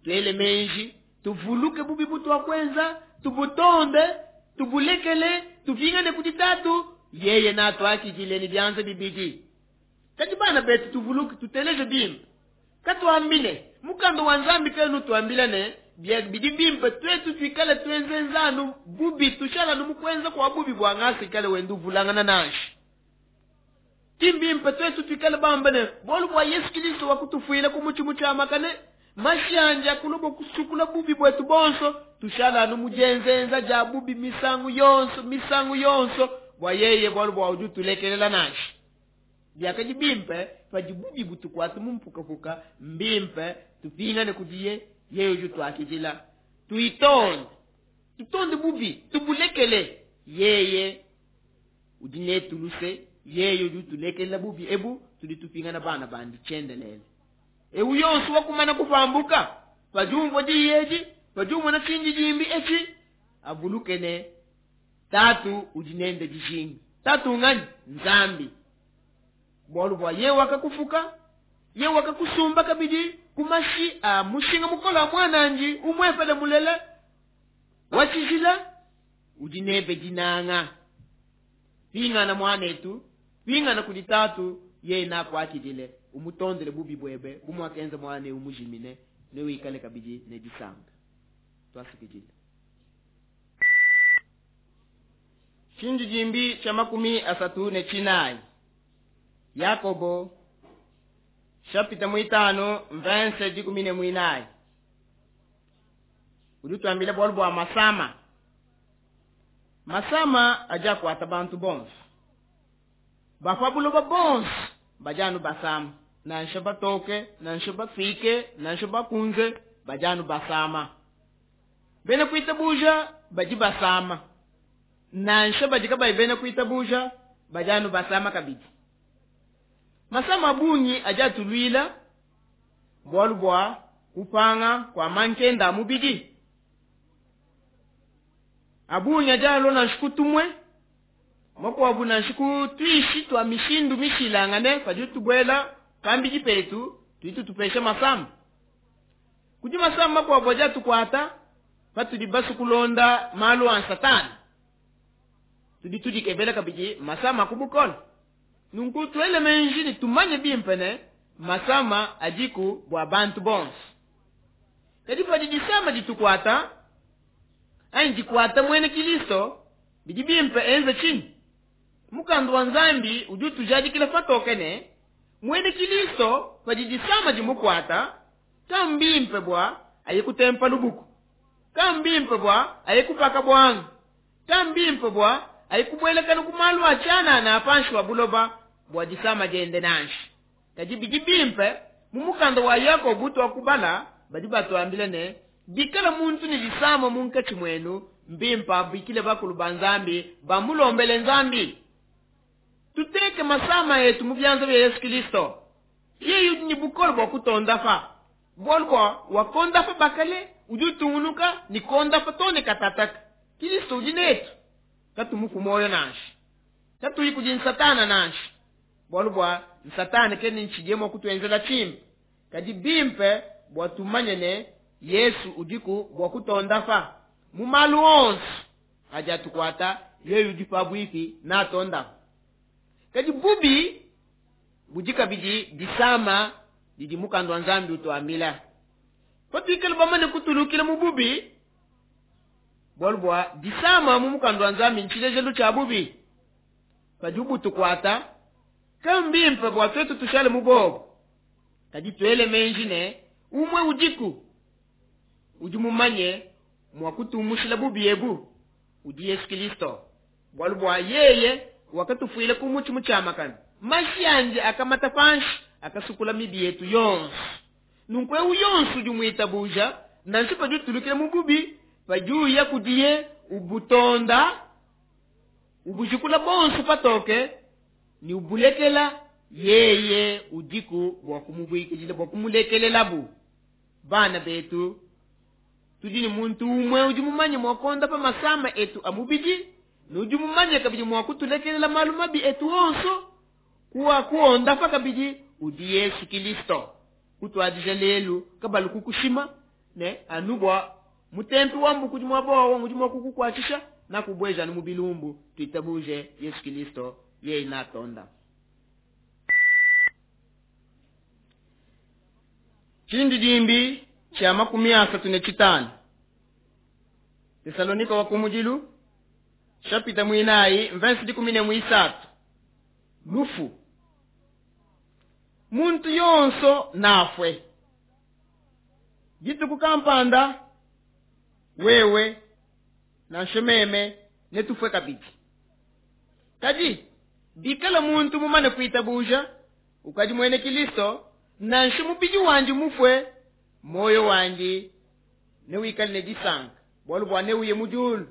tuele meji, tuvuluke bubi butuakuenza, tubutonde, tubulekele, tupingane kudi tatu, yeye natuakidile ne bianza bibidi. Kadi bana betu tuvuluke, tuteleje bimpe. Katuambile, mukanda wa Nzambi kenu tuambila ne, bidi bimpe twetu tuikale tuenzenzanu bubi, tushalanu mu kuenza kua bubi bua ngasa ikale wenda uvulangana nansha. Ki mbimpe twetu tuikale bambe ne, bualu bua Yesu Kristo wakutufuila ku mutshi mutshiamakane, mashi andi akulua kusukula bubi buetu bonso, tushalanu mu dienzenza dia bubi misangu yonso, misangu yonso, bua yeye bualu bua udi utulekelela nansha. Biakadi bimpe padi bubi butukuata mu mpukapuka, mbimpe tupingane kudiye, yeye udi utuakidila. Tuitonde, tutonde bubi, tubulekele, yeye udi netu luse, yeye udi utulekelela bubi ebu, tudi tupingana bana bandi tshiendelele. Eu yonso wakumana kupambuka, padi umvua diyi edi, padi umona tshindidimbi etshi, avuluke ne tatu udi nende dijinga. Tatu nganyi? Nzambi. Bualu bua yeye wakakufuka, yeye wakakusumba kabidi ku mashi a mushinga mukole wa muanandi umuepele mulela wa tshijila, udi nebe dinanga. Pingana muanetu, pingana kudi tatu, yeye nakuakidile, umutondele bubi buebe, bu muakenza muana eu mujimine, ne wikale kabidi ne disanka. Twasukidile. Tshindidimbi tshia makumi asatu ne tshinayi. Yakobo chapitre mwitano verse dikumi ne mwinayi. Udi utuambila bualu bua masama. Masama adi akuata bantu bonso. Bapa buloba bonso badi anu basama. Nansha batoke, nansha bafike, nansha bakunze, badi anu basama. Bena kuitabuja badi basama. Nansha badi kabayi bena kuitabuja badi anu basama kabidi. Masama a bungi adi atuluila bualu bua kupanga kua mankenda a mubidi. A bungi adi alua nansha kutumwe, makuabu nansha kutuishi tua mishindu mishilangane padi tubuela pambidi petu, tudi tutupesha masama. Kudi masama makuabu adi atukuata patudi basu kulonda malu a Satana. Tudi tudikebela kabidi masama ku bukole. Nunku tuele meji ne tumanye bimpe ne masama adiku bua bantu bonso. Kadi padi disama ditukuata anyi dikuata muena Kristo, bidi bimpe enze tshinyi? Mukanda wa Nzambi udi utujadikila patoke ne muena Kristo padi disama dimukuata, kambimpe bua aye kutempa lubuku, kambimpe bua aye kupaka bwanga, kambimpe bua aye kubuelekana ku malu a tshianana a panshi wa buloba bua disama diende nansha. Kadi bidi bimpe mu mukanda wa Yakobo tuakubala badi batuambila ne bikala muntu ne disama munkatshi muenu, mbimpe abikile bakulu ba Nzambi bamulombele Nzambi. Tuteke masama etu mu bianza bia Yesu Kristo. Yeye udi ne bukole bua kutondafa. Bualu bua wakondafa bakale udi utungunuka ne kondafa too ne katataka. Kristo udi netu, katumupu muoyo nansha, katuyi kudi Satana nansha. Bualu bua Satana kene ntshidiye mua kutuenzela tshimpe. Kadi bimpe bua tumanye ne Yesu udiku bua kutondafa mu malu onso adi atukuata, yeye udi pabuipi natondafa. Kadi bubi budi kabidi disama didi mukanda wa Nzambi utuambila. Patuikale bamane kutulukila mu bubi, bualu bua disama mu mukanda wa Nzambi ntshilejelu tshia bubi. Padibu butukuata, ke mbimpe bua tuetu tushale mu bobo. Kadi tuele meji ne, umue udiku udi mumanye mua kutumushila bubi ebu, udi Yesu Kilisto. Bualu bua yeye wakatufuila ku mutshi mutshiamakane, mashi andi akamata panshi, akasukula mibi yetu yonso. Nunku eu yonso udi muitabuja, nansha padi utulukila mu bubi, padi uya kudiye ubutonda, ubujikula bonso patoke ne ubulekela, yeye udiku bua kumubuikidila, bua kumulekelelabu. Bana betu, tudi ne muntu umue udi mumanye mua kuondapa masama etu a mubidi, ne udi mumanye kabidi mua kutulekelela malu mabi etu onso, kuwa kuondapa kabidi udi Yesu Kilisto. Kutuadija lelu kabalu kukushima ne anu bua mutempi wa mbuku udi mua bowa udi mua kukukuatshisha nakubweja anu mu bilumbu. Tuitabuje Yesu Kilisto, yeye natonda. Tshindidimbi tshia 35. Tesalonika wa kumudilu chapitre mwinayi verse 13. Lufu. Muntu yonso nafwe. Dituku kampanda wewe nansha meme netufwe kabidi. Kadi bikala muntu mumane kuitabuja ukadi mwene Kilisto, nansha mubidi wandi mufwe, moyo wandi newikale ne disanka, bualu bua neuye mu diulu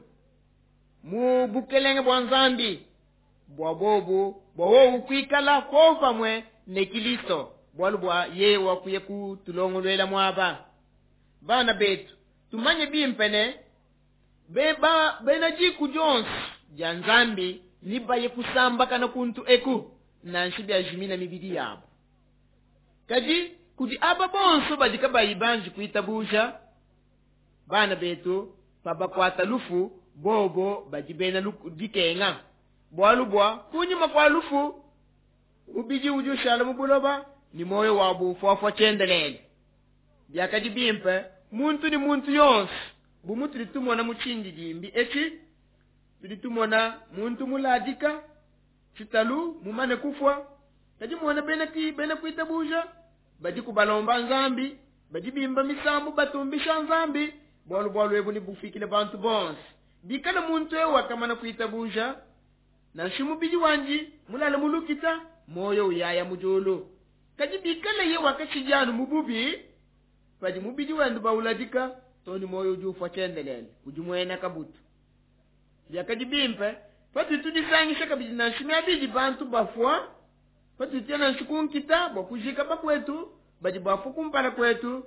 mu bukelenge bua Nzambi, bua bobu bua wowu kuikala popamue ne Kilisto, bualu bua yeye wakuya kutulongoluela muaba. Bana betu, tumanye bimpe ne beba bena diku dionso dia Nzambi nibaye kusambakana kuntu eku, nansha biajimina mibidi yabo. Kadi kudi aba bonso badi kabayi banji kuitabuja, bana betu, pabakuata lufu, bobo badi bena dikenga. Bualu bua kunyima kua lufu, mubidi udi ushala mu buloba, ni moyo wabu ufuafua tshiendelele. Biakadi bimpe muntu ni muntu yonso, bu mutudi tumona mu tshindidimbi etshi, tudi tumona muntu muladika tshitalu mumane kufua, kadi muona bena ki bena kuitabuja badi kubalomba Nzambi, badi bimba misambu batumbisha Nzambi, bualu bualu ebu nebufikile bantu bonso. Bikala muntu eu wakamana kuitabuja, nansha mubidi wandi mulale mu lukita, moyo uyaya mu diulu. Kadi bikala ye wakatshidi mu bubi, padi mubidi wende bauladika, toni moyo udi ufua tshiendelele, udi muena kabutu. Biakadi bimpe patudi tudisangisha kabidi nansha miabidi bantu bafua, patudi tuya nansha kunkita bua kujika bakwetu badi bafua kumpala kwetu,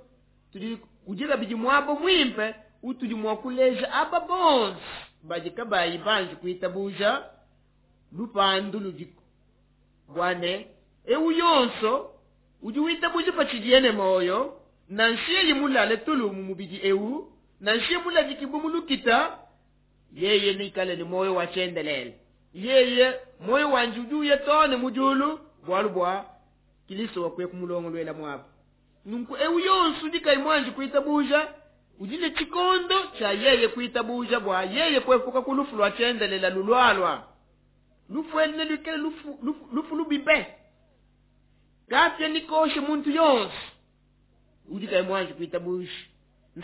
tudi kudi kabidi muaba muimpe utudi mua kuleja aba bonso badi kabayi banji kuitabuja lupandu ludiku, bua ne eu yonso udi witabuja patshidiye ne moyo, nansha yeye mulale tulu mu mubidi eu, nansha yeye muladikibue mu lukita, yeye nikale ne moyo wa tshiendelele. Yeye moyo wandi udi uya too ne mu diulu, bualu bua Kilisto wakuya kumulongoluela muaba. Nunku eu yonso udi kayi muanji kuitabuja, udi ne tshikondo tshia yeye kuitabuja bua yeye kuepuka ku lufu lua tshiendelele lulualua. Lufu elu neluikale lufu, lufu, lufu lubibe. Kapia nikoshe muntu yonso udi kayi muanji kuitabuja.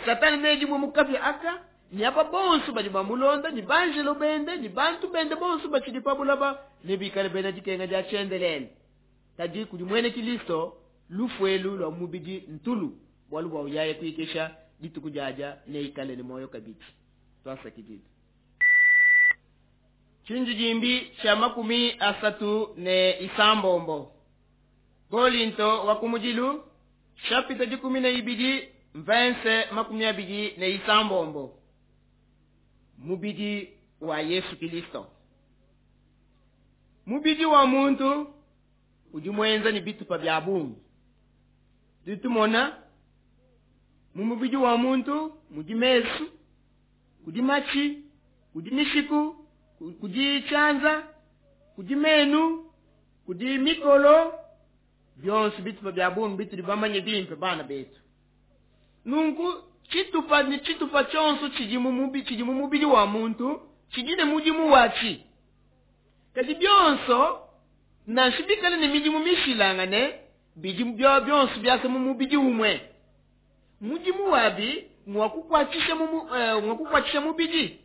Satani nedibue mu kapia aka, ni aba bonso badi bamulonda, ni banjelo bende, ni bantu bende bonso batshidi pa bulaba, nebikale bena dikenga dia tshiendelele. Kadi kudi mwene Kilisto, lufu elu lua mubidi ntulu, bualu bua uyaye kuikesha dituku diadia neikale ne moyo kabidi. Twasakidile. Tshindidimbi tshia 36. Kolinto wa kumudilu chapitre 12 verse 26. Mubidi wa Yesu Kilisto. Mubidi wa muntu udi muenza ne bitupa bia bungi. Tudi tumona mu mubidi wa muntu mudi mesu, kudi matshi, kudi mishiku, kudi tshianza, kudi menu, kudi mikolo, Bionso bitupa bia bungi bitudi bamanye bimpe bana betu. Nunku tshitupa ne tshitupa tshionso tshidi mu mubi, tshidi mu mubidi wa muntu tshidi ne mudimu watshi. Kadi bionso nansha bikale ne midimu mishilangane, bidi bionso biasa mu mubidi umue. Mudimu wabi ngwa kukuatshisha mu, ngwa kukuatshisha mubidi.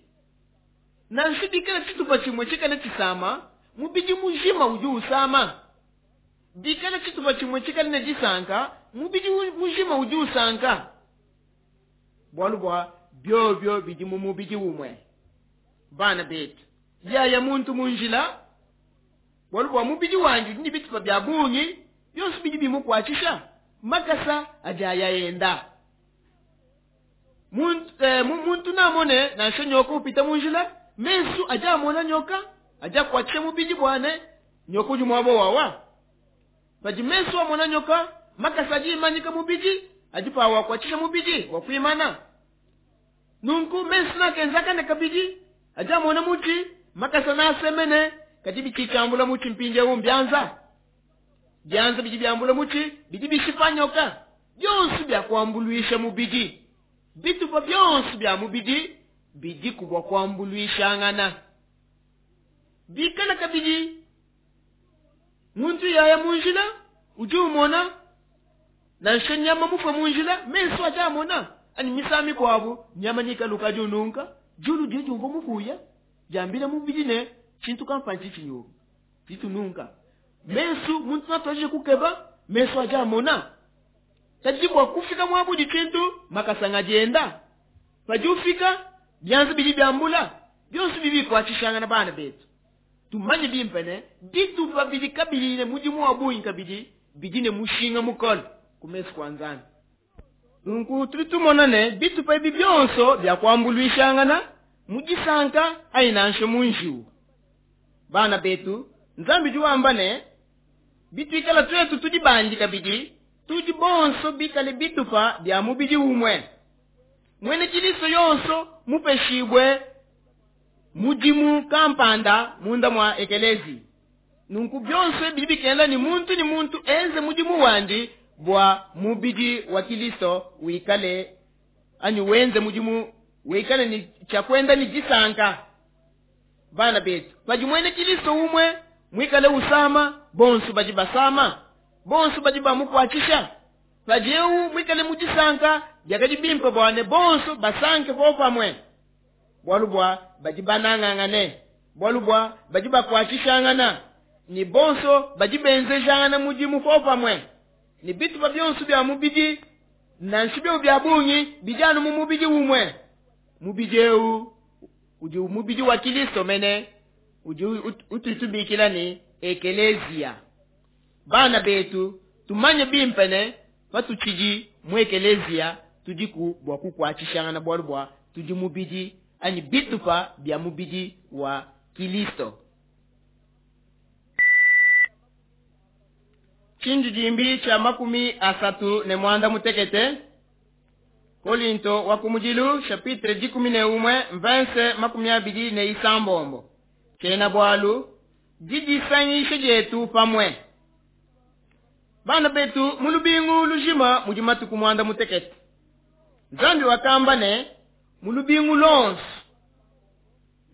Nansha bikale tshitupa tshimue tshikale tshisama, mubidi mujima udi usama. Bikale tshitupa tshimue tshikale ne disanka, mubidi mujima udi usanka. Bualu bua biobio bidi mu mubidi umue. Bana betu, yaya muntu mu njila, bualu bua mubidi wandi udi ne bitupa bia bungi, bionso bidi bimukuatshisha, makasa adi aya enda. Muntu namone nansha nyoka upita mu njila, mesu adi amona nyoka, adi akuatshisha mubidi bwane, nyoka udi muaba wawa. Padi mesu amona nyoka, makasa adi imanyika mubidi, adi pawa akuatshisha mubidi wa kuimana. Nunku mesu nakenzakane kabidi, adi amona mutshi, makasa nasemene, kadi bichichambula mutshi mpindiewu mbianza. Bianza bidi biambula mutshi, bidi bishipa nyoka. Bionso bia kuambuluisha mubidi. Bitupa bionso bia mubidi bidi kubwa kuambuluishangana. Bikala kabidi muntu yaya mu njila, udi umona nansha nyama mufue mu njila, mesu adi amona. Ani misami kwabu, nyama nikaluka adi ununka, julu didi umvua mufuya, diambila mubidi ne tshintu kampanda tshinyoka, tshitununka. Mesu muntu natuaje kukeba, mesu adi amona. Kadi bua kufika muabu di tshintu, makasa ngadienda. Padi ufika, bianza bidi biambula, bionso bibi bikuatshishangana bana betu. Tumanye bimpe ne, bitupa bidi kabidi ne mudimu wa bungi kabidi, bidi ne mushinga mukole ku mesu kua Nzambi. Nunku tudi tumona ne, bitupa ebi bionso bia kuambuluishangana mu disanka anyi nansha mu njiwu. Bana betu, Nzambi udi wamba ne, bituikala tuetu tudi bandi kabidi, tudi bonso bikale bitupa bia mubidi umue. Mwene Kilisto yonso mupeshibwe mudimu kampanda munda mwa ekelezi. Nunku bionso bidi bikengela ni muntu ni muntu enze mudimu wandi bua mubidi wa Kilisto wikale anyi wenze mudimu wikale ni cha kwenda ni disanka. Bana betu, padi mwene Kilisto umwe mwikale usama, bonso badi basama, bonso badi bamukuatshisha. Padi eu mwikale mu disanka, biakadi bimpe bua ne bonso basanke popamwe. Bualu bua badi banangangane, bualu bua badi bakuatshishangana, ni bonso badi benzejangana mudimu popamwe. Ni bitupa bionso bia mubidi, nansha bio bia bungi, bidi anu mu mubidi umwe. Mubidi eu udi mubidi wa Kilisto mene, udi ututubikila ni ekelezia. Bana betu, tumanye bimpe ne patutshidi mu ekelezia, tudiku bua kukuatshishangana bualu bua tudi mubidi anyi bitupa bia mubidi wa Kilisto. Tshindidimbi tshia 36, Kolinto wa kumudilu chapitre 11 verse 26. Tshiena bualu didisangisha dietu pamue. Bana betu mu lubingu lujima mudi matuku 96. Nzambi wakamba ne mu lubingu lonso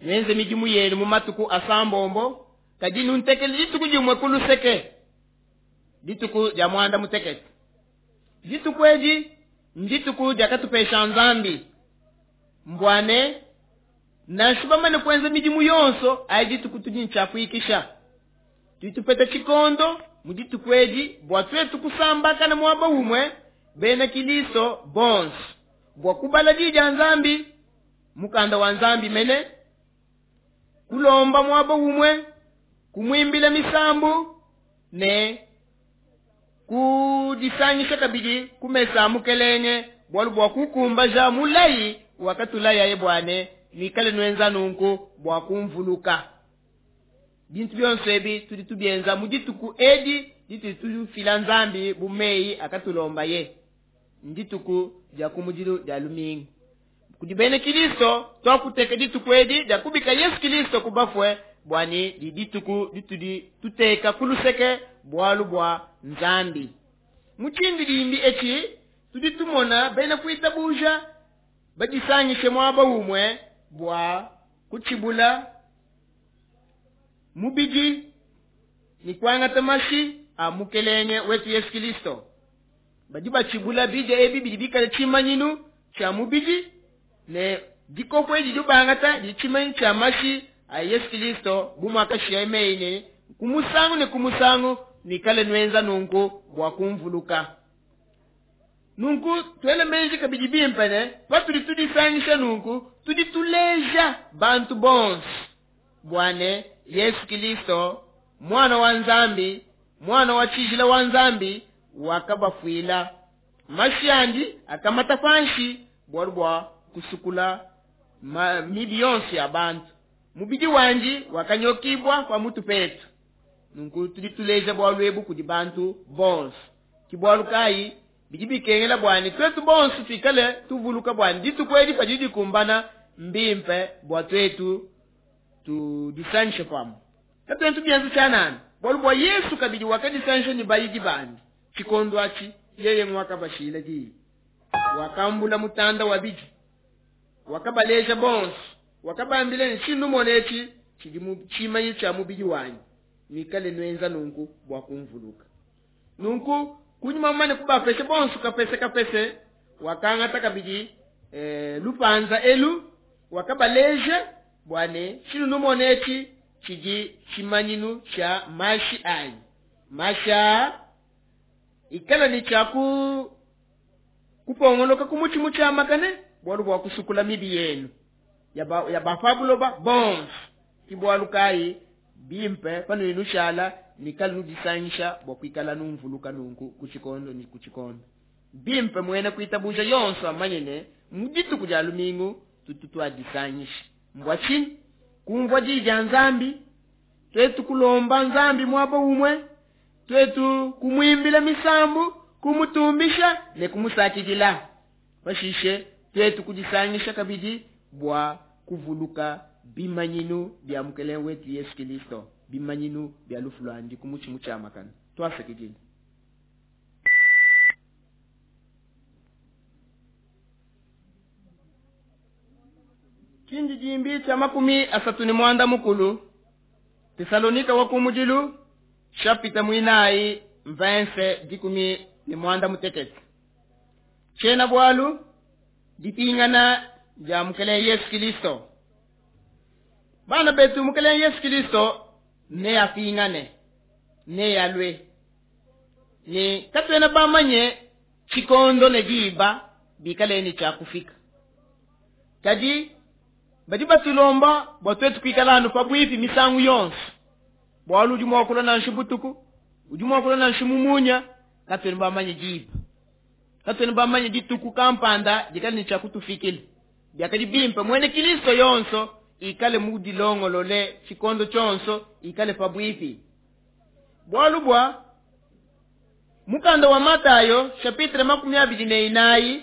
nuenze midimu yenu mu matuku asambombo, kadi nuntekele dituku dimue ku luseke, dituku dia 96. Dituku edi ndituku diakatupesha Nzambi mbwane nansha bamane kuenza midimu yonso ayi dituku tudi ntshiakuikisha. Tudi tupeta tshikondo mu dituku edi bua tuetu kusambakana muaba umue bena Kilisto bonso bua kubala di dia Nzambi, mukanda wa Nzambi mene, kulomba muaba umue, kumwimbila misambu ne kudisangisha kabidi kumesa mukelenge, bualu bua kukumbaja mulayi wakatulayaye bwane nuikale nuenza nunku bua kumvuluka. Bintu bionso ebi tudi tubienza mu dituku edi ditudi tufila Nzambi bu meyi akatulombaye. Ndituku dia kumudilu dia lumingu. Kudi bena Kilisto twakuteka dituku edi dia kubika Yesu Kilisto ku bafue bua ne didi dituku ditudi tuteka ku luseke bualu bua Nzambi. Mu tshindidimbi etshi tudi tumona bena kuitabuja badisangishe muaba umue bua kutshibula mubidi ne kuangata mashi a Mukelenge wetu Yesu Kilisto. Badi batshibula bidia ebi bidi bikale tshimanyinu tshia mubidi ne dikopo edi didi bangata didi tshimanyinu tshia mashi a Yesu Kilisto, bu muakashiyaye meyi ne, ku musangu ne ku musangu nuikale nuenza nunku bua kumvuluka. Nunku tuele meji kabidi bimpe ne, patudi tudisangisha nunku, tudi tuleja bantu bonso bua ne, Yesu Kilisto Mwana wa Nzambi, Mwana wa tshijila wa Nzambi, wakabafuila. Mashi andi akamata panshi bualu bua kusukula mibi yonso ya bantu. Mubidi wandi wakanyokibua pa mutu petu. Nunku tudi tuleja bualu ebu kudi bantu bonso. Ki bualu kayi bidi bikengela bua ne tuetu bonso tuikale tuvuluka bua ne dituku edi padidi dikumbana, mbimpe bua tuetu tudisangishe pamue. Katuena tubienza tshianana, bualu bua Yesu kabidi wakadisangisha ne bayidi bandi tshikondo atshi, yeye nguakabashila diyi. Wakambula mutanda wa bidi, wakabaleja bonso, wakabambila ne, tshinumona etshi tshidi mu tshimanyi tshia mubidi wanyi, nuikale nuenza nunku bua kumvuluka. Nunku kunyima mumane kubapesha bonso kapese kapese, wakangata kabidi lupanza elu, wakabaleja bua ne tshinumona etshi tshidi tshimanyinu tshia mashi anyi. Mashi aa ikala ne tshia kupongoloka ku mutshi mutshiamakane, bualu bua kusukula mibi yenu ya ba pa buloba bonso. Ki bualu kayi bimpe panudi nushala nuikale nudisangisha bua kuikala numvuluka nunku ku tshikondo ne ku tshikondo. Bimpe muena kuitabuja yonso amanye ne mu dituku dia lumingu tutu tuadisangisha. Mbua tshinyi? Kumvua diyi dia Nzambi, tuetu kulomba Nzambi muaba umue, tuetu kumuimbila misambu, kumutumbisha ne kumusakidila. Pashishe tuetu kudisangisha kabidi bua kuvuluka bimanyinu bia Mukelenge wetu Yesu Kilisto, bimanyinu bia lufu luandi ku mutshi mutshiamakane. Tuasakidila. Tshindidimbi tshia 36, Tesalonika wa kumudilu, chapitre mwinayi, verse 16. Tshiena bualu dipingana dia Mukelenge Yesu Kilisto. Bana betu, Mukelenge Yesu Kilisto neapingane, nealue. Ne katuena bamanye tshikondo ne diba bikale ne tshia kufika. Kadi badi batulomba bua tuetu kuikala anu pabuipi misangu yonso, bualu udi mua kulua nansha butuku, udi mua kulua nansha mu munya. Katuena bamanye diba, katuena bamanye dituku kampanda dikale ne tshia kutufikila. Biakadi bimpe muena Kilisto yonso ikale mudilongolole tshikondo tshionso, ikale pabuipi. Bualu bua mukanda wa Matayo chapitre 24,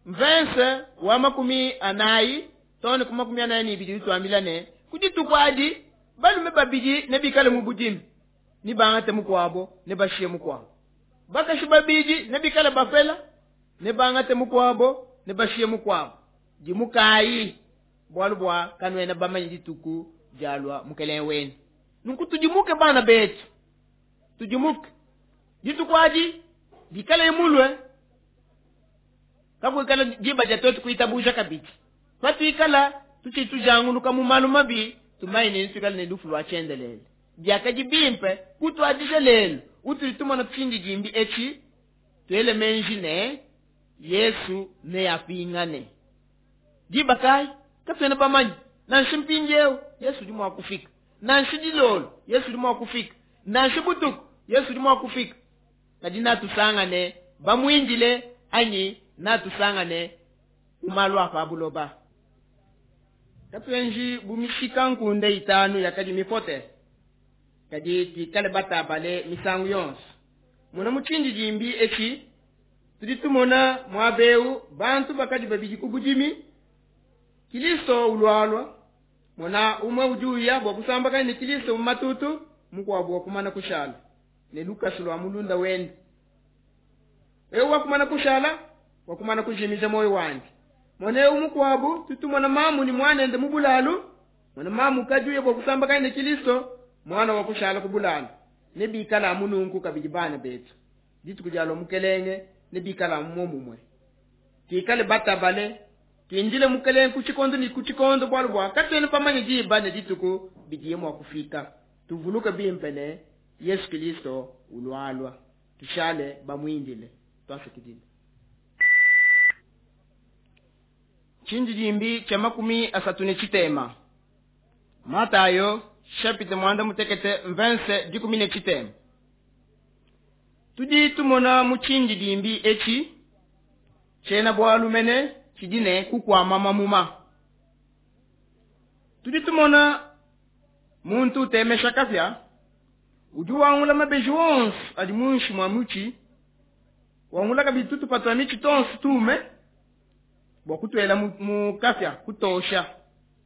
verse wa 40 tone ku 42, utuambila ne ku dituku adi balume babidi nebikale mu budimi, ne bangate mukuabo ne bashiye mukuabo. Bakashi babidi nebikale bapela, ne bangate mukuabo ne bashiye mukuabo. Dimukayi, bualu bua kanuena bamanye dituku dialua Mukelenge wenu. Nunku tudimuke bana betu, tudimuke. Dituku adi dikale mulue, kakuikala diba dia tuetu kuitabuja kabidi. Patuikala tutshidi tujanguluka mu malu mabi, tumanye ne tuikale ne lufu lua tshiendelele. Biakadi bimpe kutuadija lelu utudi tumona tshindidimbi etshi, tuele menji ne Yesu neapingane. Diba kayi? Katuena bamanye. Nansha mpindieu Yesu udi mua kufika, nansha dilolo Yesu udi mua kufika, nansha butuku Yesu udi mua kufika. Kadi natusangane bamuindile anyi natusangane mu malu a pa buloba. Katuenji bu mishika nkunde itanu yakadi mipote, kadi tuikale batabale misangu yonso. Mona mu tshindidimbi etshi tudi tumona muaba eu bantu bakadi babidi ku budimi, Kilisto ulualua. Mona umue udi uya bua kusambakana ne Kilisto mu matutu, mukuabu wakumana kushala ne lukasu lua mulunda wende. Eu wakumana kushala wakumana kujimija muoyo wandi. Mona eu mukuabu tutumona mamu ni mwanende mu bulalu. Mona mamu kadi uya bua kusambakana ne Kilisto, mwana wa kushala ku bulalu. Ne bikala mununku kabidi bana betu dituku dialua mukelenge ne bikala muomumue. Tuikale batabale, tuindile mukelenge ku tshikondo ne ku tshikondo, bualu bua katuena pamanye diba ne dituku bidiye mua kufika. Tuvuluke bimpe ne Yesu Kilisto ulualua, tushale bamuindile. Twasakidile. Tshindidimbi tshia 33. Matayo chapitre 16 verset 13. Tudi tumona mu tshindidimbi etshi tshiena bualu mene tshidi ne kukwama mamuma. Tudi tumona muntu utemesha kapia udi wangula mabeji wonso adi munshi mwa mutshi, wangula kabidi tutupa twa mitshi tonso tume bua kutuela mu kapia kutosha,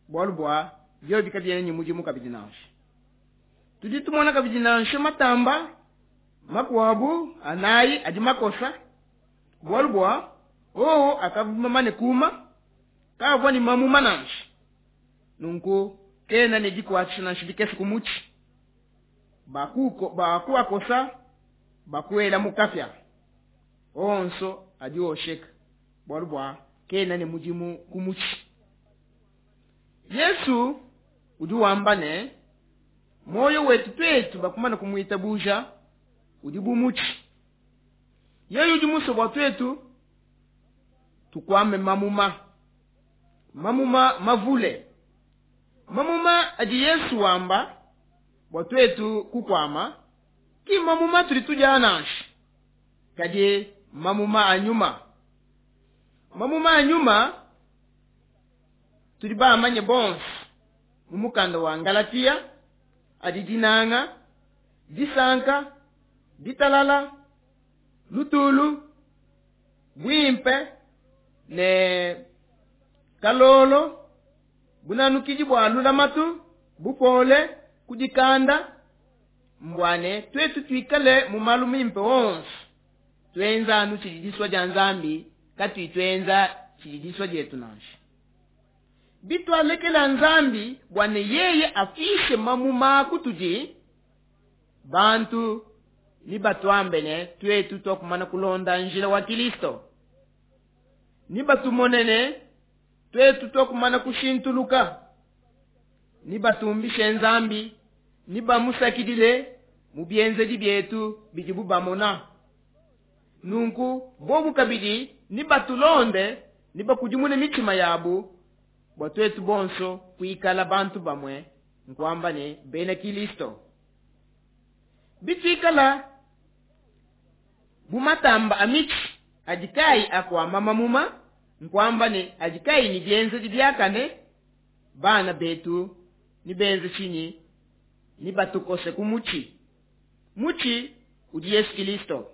bualu bua biobi kabiena ne mudimu kabidi nansha. Tudi tumona kabidi nansha matamba makuabu anayi adi makosa, bualu bua owo akavuma ne kuma kavua ne mamuma nansha. Nunku kena ne dikuatshisha nansha dikese ku mutshi, bakuakosa bakuela mu kapia onso adi osheka, bualu bua kena ne mudimu ku mutshi. Yesu udi wamba ne moyo wetu twetu bakumana kumuitabuja udi bu mutshi. Yeye udi musue bua twetu tukwame mamuma, mamuma mavule, mamuma adi Yesu wamba bua twetu kukwama ki mamuma tudi tudia nansha, kadi mamuma a nyuma. Mamuma a nyuma tudi bamanye bonso mu mukanda wa Galatia adi dinanga, disanka, ditalala, lutulu, bwimpe ne kalolo, bunanukidi bua lulamatu, bupole, kudikanda. Mbwane twetu tuikale mu malu mimpe wonso, twenza anu tshidi disua dia Nzambi, katui twenza tshidi disua dietu nansha. Bitwalekela Nzambi bua ne yeye afishe mamuma kutudi, bantu ni batuambe ne twetu twakumana kulonda njila wa Kilisto, ni batumonene twetu twakumana kushintuluka, ni batumbishe Nzambi, ni bamusakidile mu bienzedi bietu bidibu bamona. Nunku bobu kabidi ni batulonde, ni bakudimune mitima yabu bua twetu bonso kuikala bantu bamwe, nkuamba ne bena Kilisto. Bitwikala bu matamba a mitshi adi kayi akwama mamuma, nkuamba ne adi kayi ne bienzedi biakane, bana betu ni benze tshinyi? Ni batukose ku mutshi. Mutshi udi Yesu Kilisto.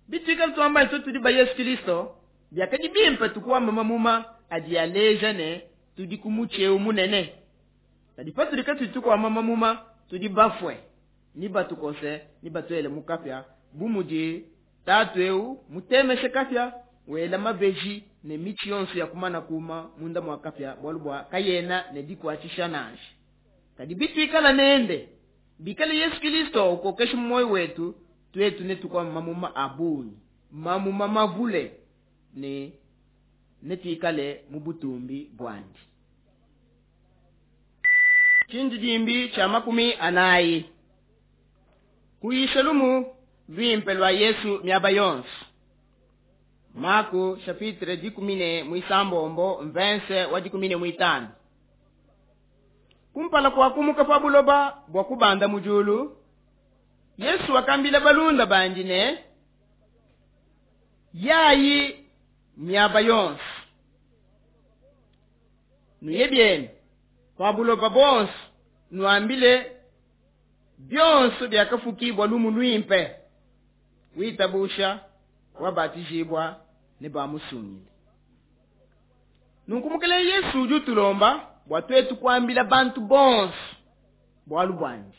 Bitwikala tuamba ne tudi ba Yesu Kilisto, biakadi bimpe tukwama mamuma adi aleja ne tudi ku mutshi eu munene. Kadi patudi katudi tukwama mamuma, tudi bafue, ni batukose, ni batuele mu kapia, bu mudi tatu eu mutemeshe kapia, wela mabeji ne mitshi yonso ya kumana kuma munda mwa kapia, bualu bua kayena ne dikuatshisha nansha. Kadi bitwikala nende bikale Yesu Kilisto ukokesha moyo wetu, twetu ne tukwama mamuma a bungi, mamuma mavule, ne netwikale mu butumbi bwandi. Tshindidimbi tshia 40. Kuyisha lumu lwimpe lwa Yesu miaba yonso. Marko chapitre 16 verse wa 15. Kumpala kwa kumuka pa buloba bwa kubanda mujulu, Yesu wakambila balunda bandi ne yayi miaba yonso. Nuye bienu pa buloba bonso, nuambile byonso byakafukibwa lumu lwimpe, witabusha wabatijibwa ne bamusungile. Nunku mukele Yesu udi utulomba bua tuetu kuambila bantu bonso bualu buandi,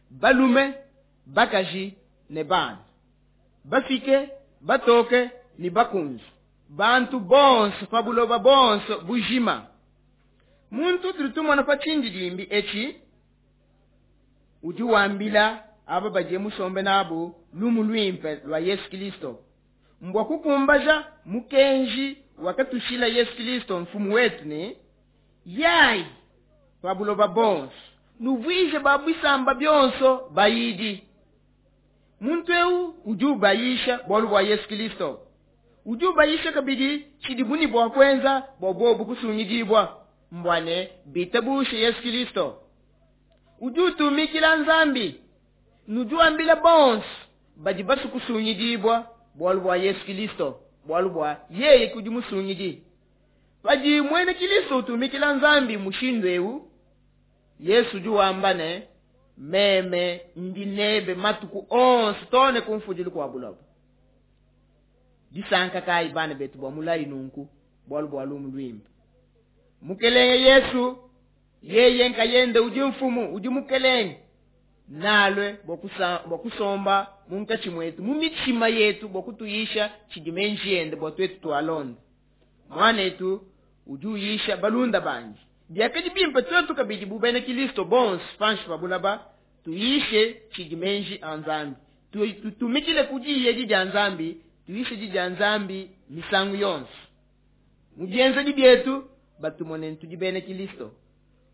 balume, bakaji ne bana, bafike, batoke ne bakunze, bantu bonso pa buloba bonso bujima. Muntu tudi tumona pa tshindidimbi etshi udi wambila aba badiye musombe nabu lumu luimpe lua Yesu Kilisto, mbua kukumbaja mukenji wakatushila Yesu Kilisto mfumu wetu ne yayi pa buloba bonso nuvuije ba bisamba bionso bayidi. Muntu eu udi ubayisha bualu bua Yesu Kilisto, udi ubayisha kabidi tshidibu ne bua kuenza bua bobu kusungidibua, mbua ne bitabushe Yesu Kilisto. Udi utumikila Nzambi, nudi wambila bonso badi basue kusungidibua bualu bua Yesu Kilisto, bualu bua yeye kudi musungidi. Padi muena Kilisto utumikila Nzambi mushindu eu, Yesu udi wamba ne, meme ndi nebe matuku onso too ne ku mfudilu kua buloba. Disanka kayi bana betu bua mulayi nunku, bualu bua lumu luimpe. Mukelenge Yesu yeye nkayende udi mfumu, udi mukelenge, nalue bua kusomba munkatshi muetu, mu mitshima yetu, bua kutuyisha tshidi menji ende bua tuetu tualonda. Muanetu udi uyisha balunda bandi. Biakadi bimpe tuetu kabidi bu bena Kilisto bonso panshi pa bulaba tuyishe tshidi menji a Nzambi, tutumikile ku diyi edi dia Nzambi, tuyishe di dia Nzambi misangu yonso. Mu bienzedi bietu batumone tudi bena Kilisto,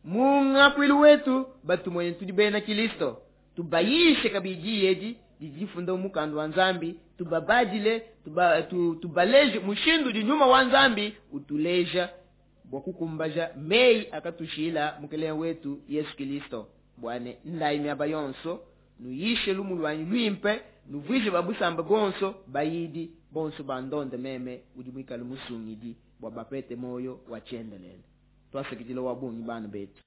mu ngakuilu wetu batumone tudi bena Kilisto, tubayishe kabidi diyi edi didi difunda mu mukanda wa Nzambi, tubabadile, tubaleje mushindu udi nyuma wa Nzambi utuleja bua kukumbaja meyi akatushila mukelenge wetu Yesu Kilisto. Bua ne ndayi miaba yonso nuyishe lumu luanyi luimpe, nuvuije ba busamba bonso bayidi, bonso bandonde meme udi muikale musungidi, bua bapete moyo wa tshiendelele. Twasakidila wa bungi bana betu.